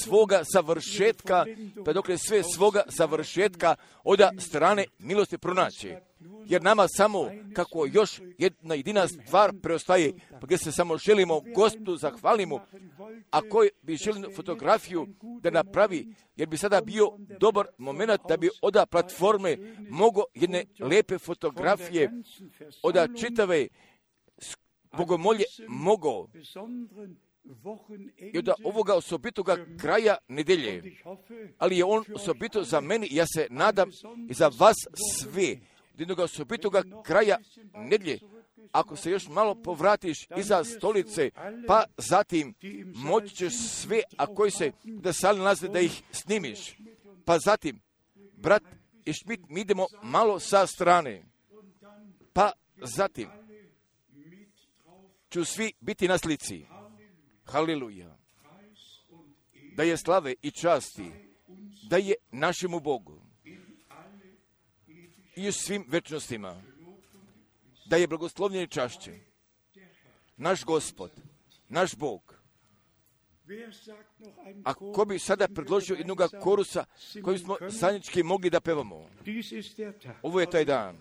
svoga završetka, pa dokle sve svoga završetka od strane milosti pronaće. Jer nama samo, kako još jedna jedina stvar preostaje, pa gdje se samo želimo Gospodu zahvalimo, a koji bi želio fotografiju da napravi, jer bi sada bio dobar moment da bi od platforme mogo jedne lepe fotografije od čitave bogomolje mogo i od ovoga osobitoga kraja nedelje. Ali je on osobito za meni, ja se nadam i za vas sve, od jednog osobitoga kraja nedelje. Ako se još malo povratiš iza stolice, pa zatim moći ćeš sve, a koji se da sali nalaze da ih snimiš. Pa zatim, brat i Šmit, mi idemo malo sa strane. Pa zatim ću svi biti na slici. Haleluja. Da je slave i časti, da je našemu Bogu i u svim večnostima, da je blagoslovljen i čašće naš Gospod, naš Bog. A ko bi sada predložio jednog korusa koji smo zajednički mogli da pevamo? Ovo je taj dan.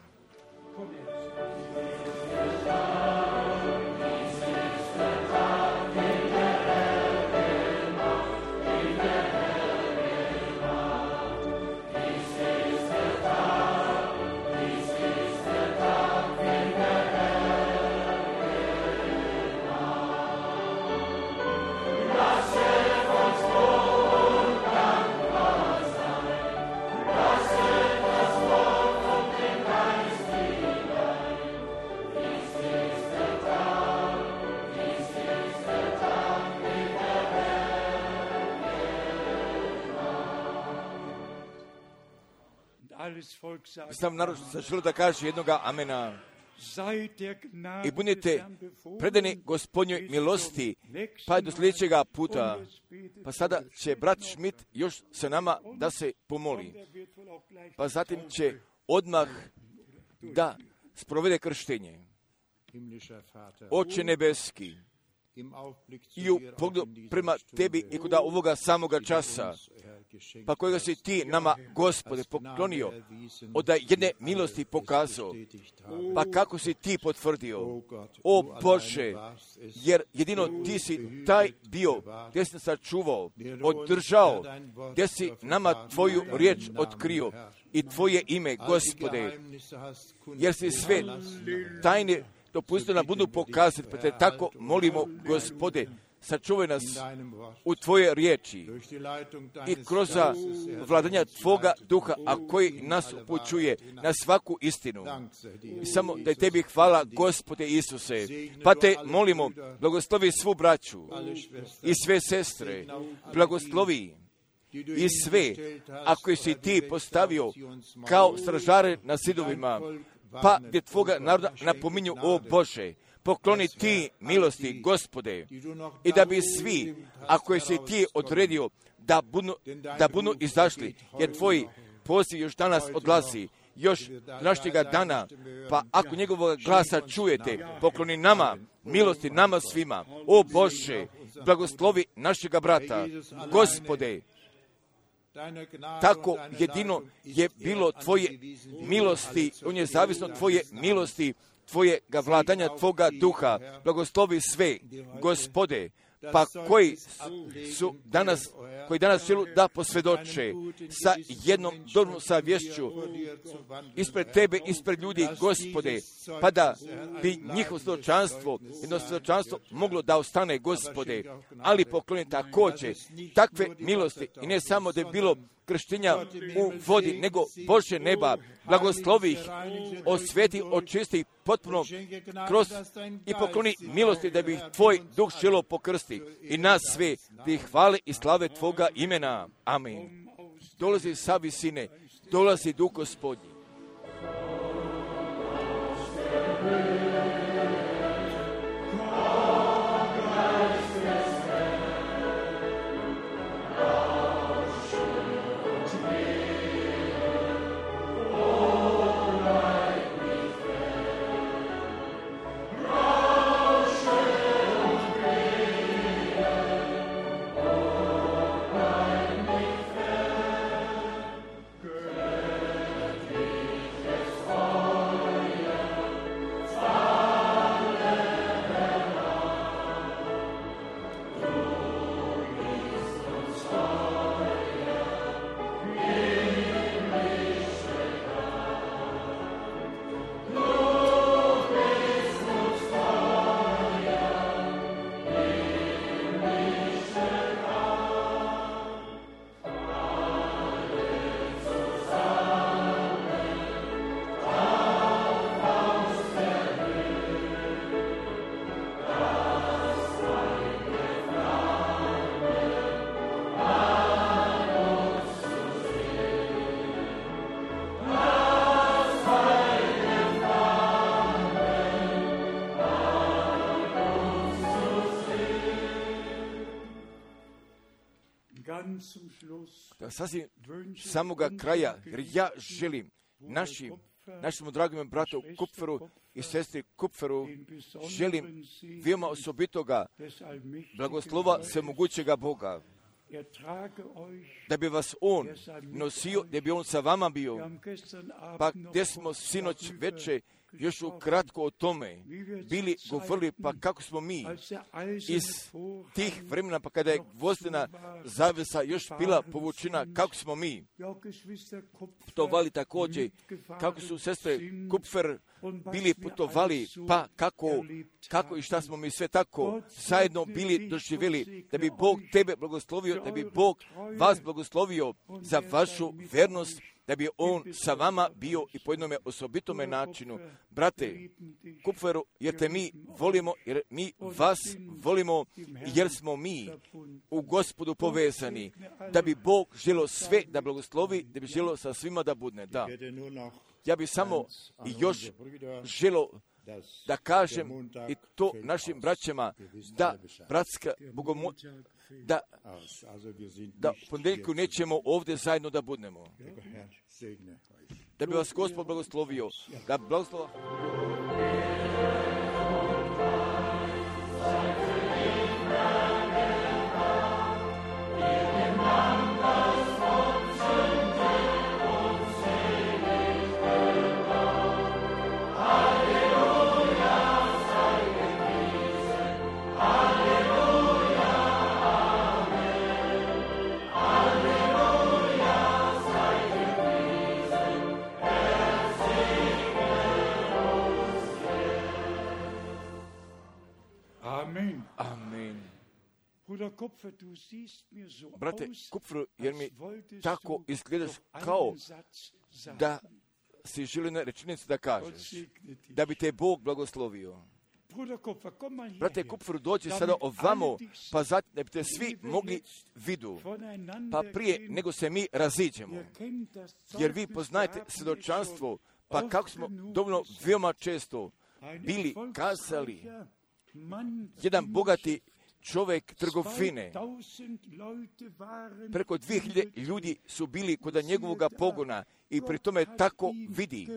Ist Sam narod zaželio da kaže jednoga amena. I budite predani Gospodnjoj milosti, pa do sljedećega puta. Pa sada će brat Schmidt još sa nama da se pomoli. Pa zatim će odmah da sprovede krštenje. Oče nebeski, i u pogledu prema tebi i kod ovoga samoga časa, pa kojega si ti nama, Gospode, poklonio, od jedne milosti pokazao, pa kako si ti potvrdio, o Bože, jer jedino ti si taj bio, gdje si nas sačuvao, održao, gdje si nama tvoju riječ otkrio i tvoje ime, Gospode, jer si sve tajne dopustio nam budu pokazati, pa te tako molimo, Gospode, sačuvaj nas u tvoje riječi i kroz vladanja tvoga duha, a koji nas upućuje na svaku istinu. I samo da je tebi hvala, Gospode Isuse, pa te molimo, blagoslovi svu braću i sve sestre, blagoslovi i sve, ako si ti postavio kao stražare na zidovima, pa gdje tvoga naroda napominju, o Bože, pokloni ti milosti, Gospode, i da bi svi, ako si ti odredio, da budu, da budu izašli, jer tvoj poziv još danas odlazi, još današnjega dana, pa ako njegovog glasa čujete, pokloni nama, milosti nama svima, o Bože, blagoslovi našega brata, Gospode, tako jedino je bilo tvoje milosti, on je zavisno tvoje milosti, tvojega vladanja, tvoga duha, blagoslovi sve, Gospode, pa koji su danas, koji danas želu da posvjedoče sa jednom dobrom savješću ispred tebe, ispred ljudi, Gospode, pa da bi njihovo svjedočanstvo, jedno svjedočanstvo moglo da ostane, Gospode, ali pokloni također takve milosti i ne samo da je bilo krštenja u vodi, nego Bože neba, blagoslovi ih, osveti, očisti potpuno kroz i pokloni milosti da bi ih tvoj duh želo pokrsti i nas sve ti hvale i slave tvoga imena. Amen. Dolazi sa visine, dolazi duh Gospodnji. Da sasvim samoga kraja, jer ja želim našim, našemu dragom bratu Kupferu i sestri Kupferu, želim veoma osobitoga blagoslova svemogućega Boga, da bi vas on nosio, da bi on sa vama bio, pa gdje smo sinoć veče još ukratko o tome bili govorili, pa kako smo mi iz tih vremena, pa kada je gvozdena zavesa još bila povučena, kako smo mi putovali također, kako su sestre Kupfer bili putovali, pa kako, kako i šta smo mi sve tako zajedno bili doživjeli, da bi Bog tebe blagoslovio, da bi Bog vas blagoslovio za vašu vernost, da bi on sa vama bio i po jednome osobitome načinu. Brate Kupferu, jer te mi volimo, jer mi vas volimo, jer smo mi u Gospodu povezani, da bi Bog želio sve da blagoslovi, da bi želio sa svima da budne. Da. Ja bih samo još želio da kažem i to našim braćama, da bratska bogomo, da, da ponedjeljku nećemo ovdje zajedno da budnemo. Da bi vas Gospod blagoslovio, da blagoslova. Brate Kupfer, jer mi tako izgledaš kao da si želio na rečenicu da kažeš, da bi te Bog blagoslovio. Brate Kupfer, dođi sada ovamo, pa zato da bi te svi mogli vidu, pa prije nego se mi raziđemo. Jer vi poznajete svjedočanstvo, pa kako smo dovoljno veoma često bili kazali, jedan bogati čovjek trgovine, preko dvije hiljade ljudi su bili kod njegovog pogona i pri tome tako vidi,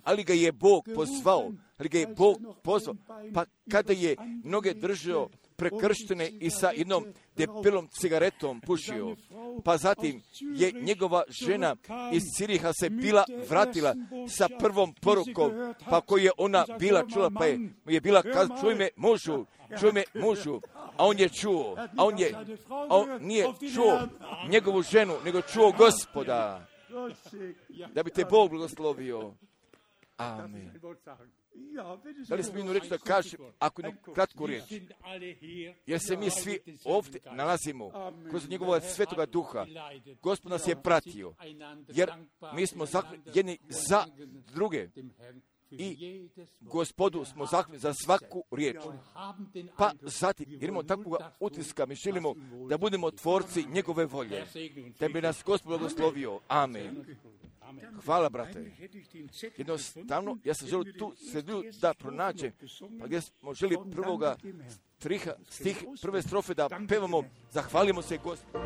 ali ga je Bog pozvao, ali ga je Bog pozvao, pa kada je noge držao prekrštene i sa jednom debelom cigaretom pušio, pa zatim je njegova žena iz Ciriha se bila vratila sa prvom porukom, pa koju je ona bila čula, pa je, je bila kazala, čuj me mužu, čuj me mužu, a on je čuo, a on, je, a on nije čuo njegovu ženu, nego čuo Gospoda, da bi te Bog blagoslovio. Amen. Da li smijem reći da kažem, ako jednu kratku riječ, jer se mi svi ovdje nalazimo kroz njegova svetoga duha, Gospod nas je pratio, jer mi smo zahvalni jedni za druge i Gospodu smo zahvalni za svaku riječ. Pa zatim, jer imamo takvog utiska, mi želimo da budemo tvorci njegove volje, da bi nas Gospod blagoslovio. Amen. Hvala, brate. Jednostavno, ja sam želio tu sredinu da pronađem, pa gdje smo želi prvoga striha, stih, prve strofe da pevamo, zahvalimo se Gospodu.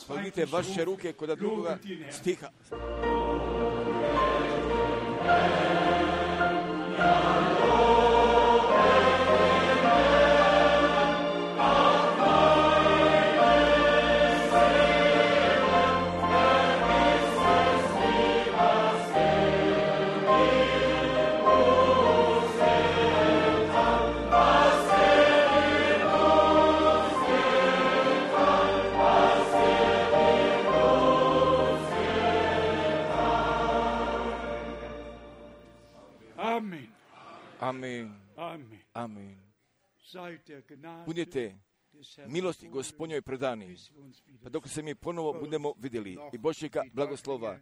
Pogledajte vaše ruke kod drugoga stiha. Amen. Amen. Budite milosti Gospodnjoj predani, pa dok se mi ponovo budemo vidjeli i Božjega blagoslova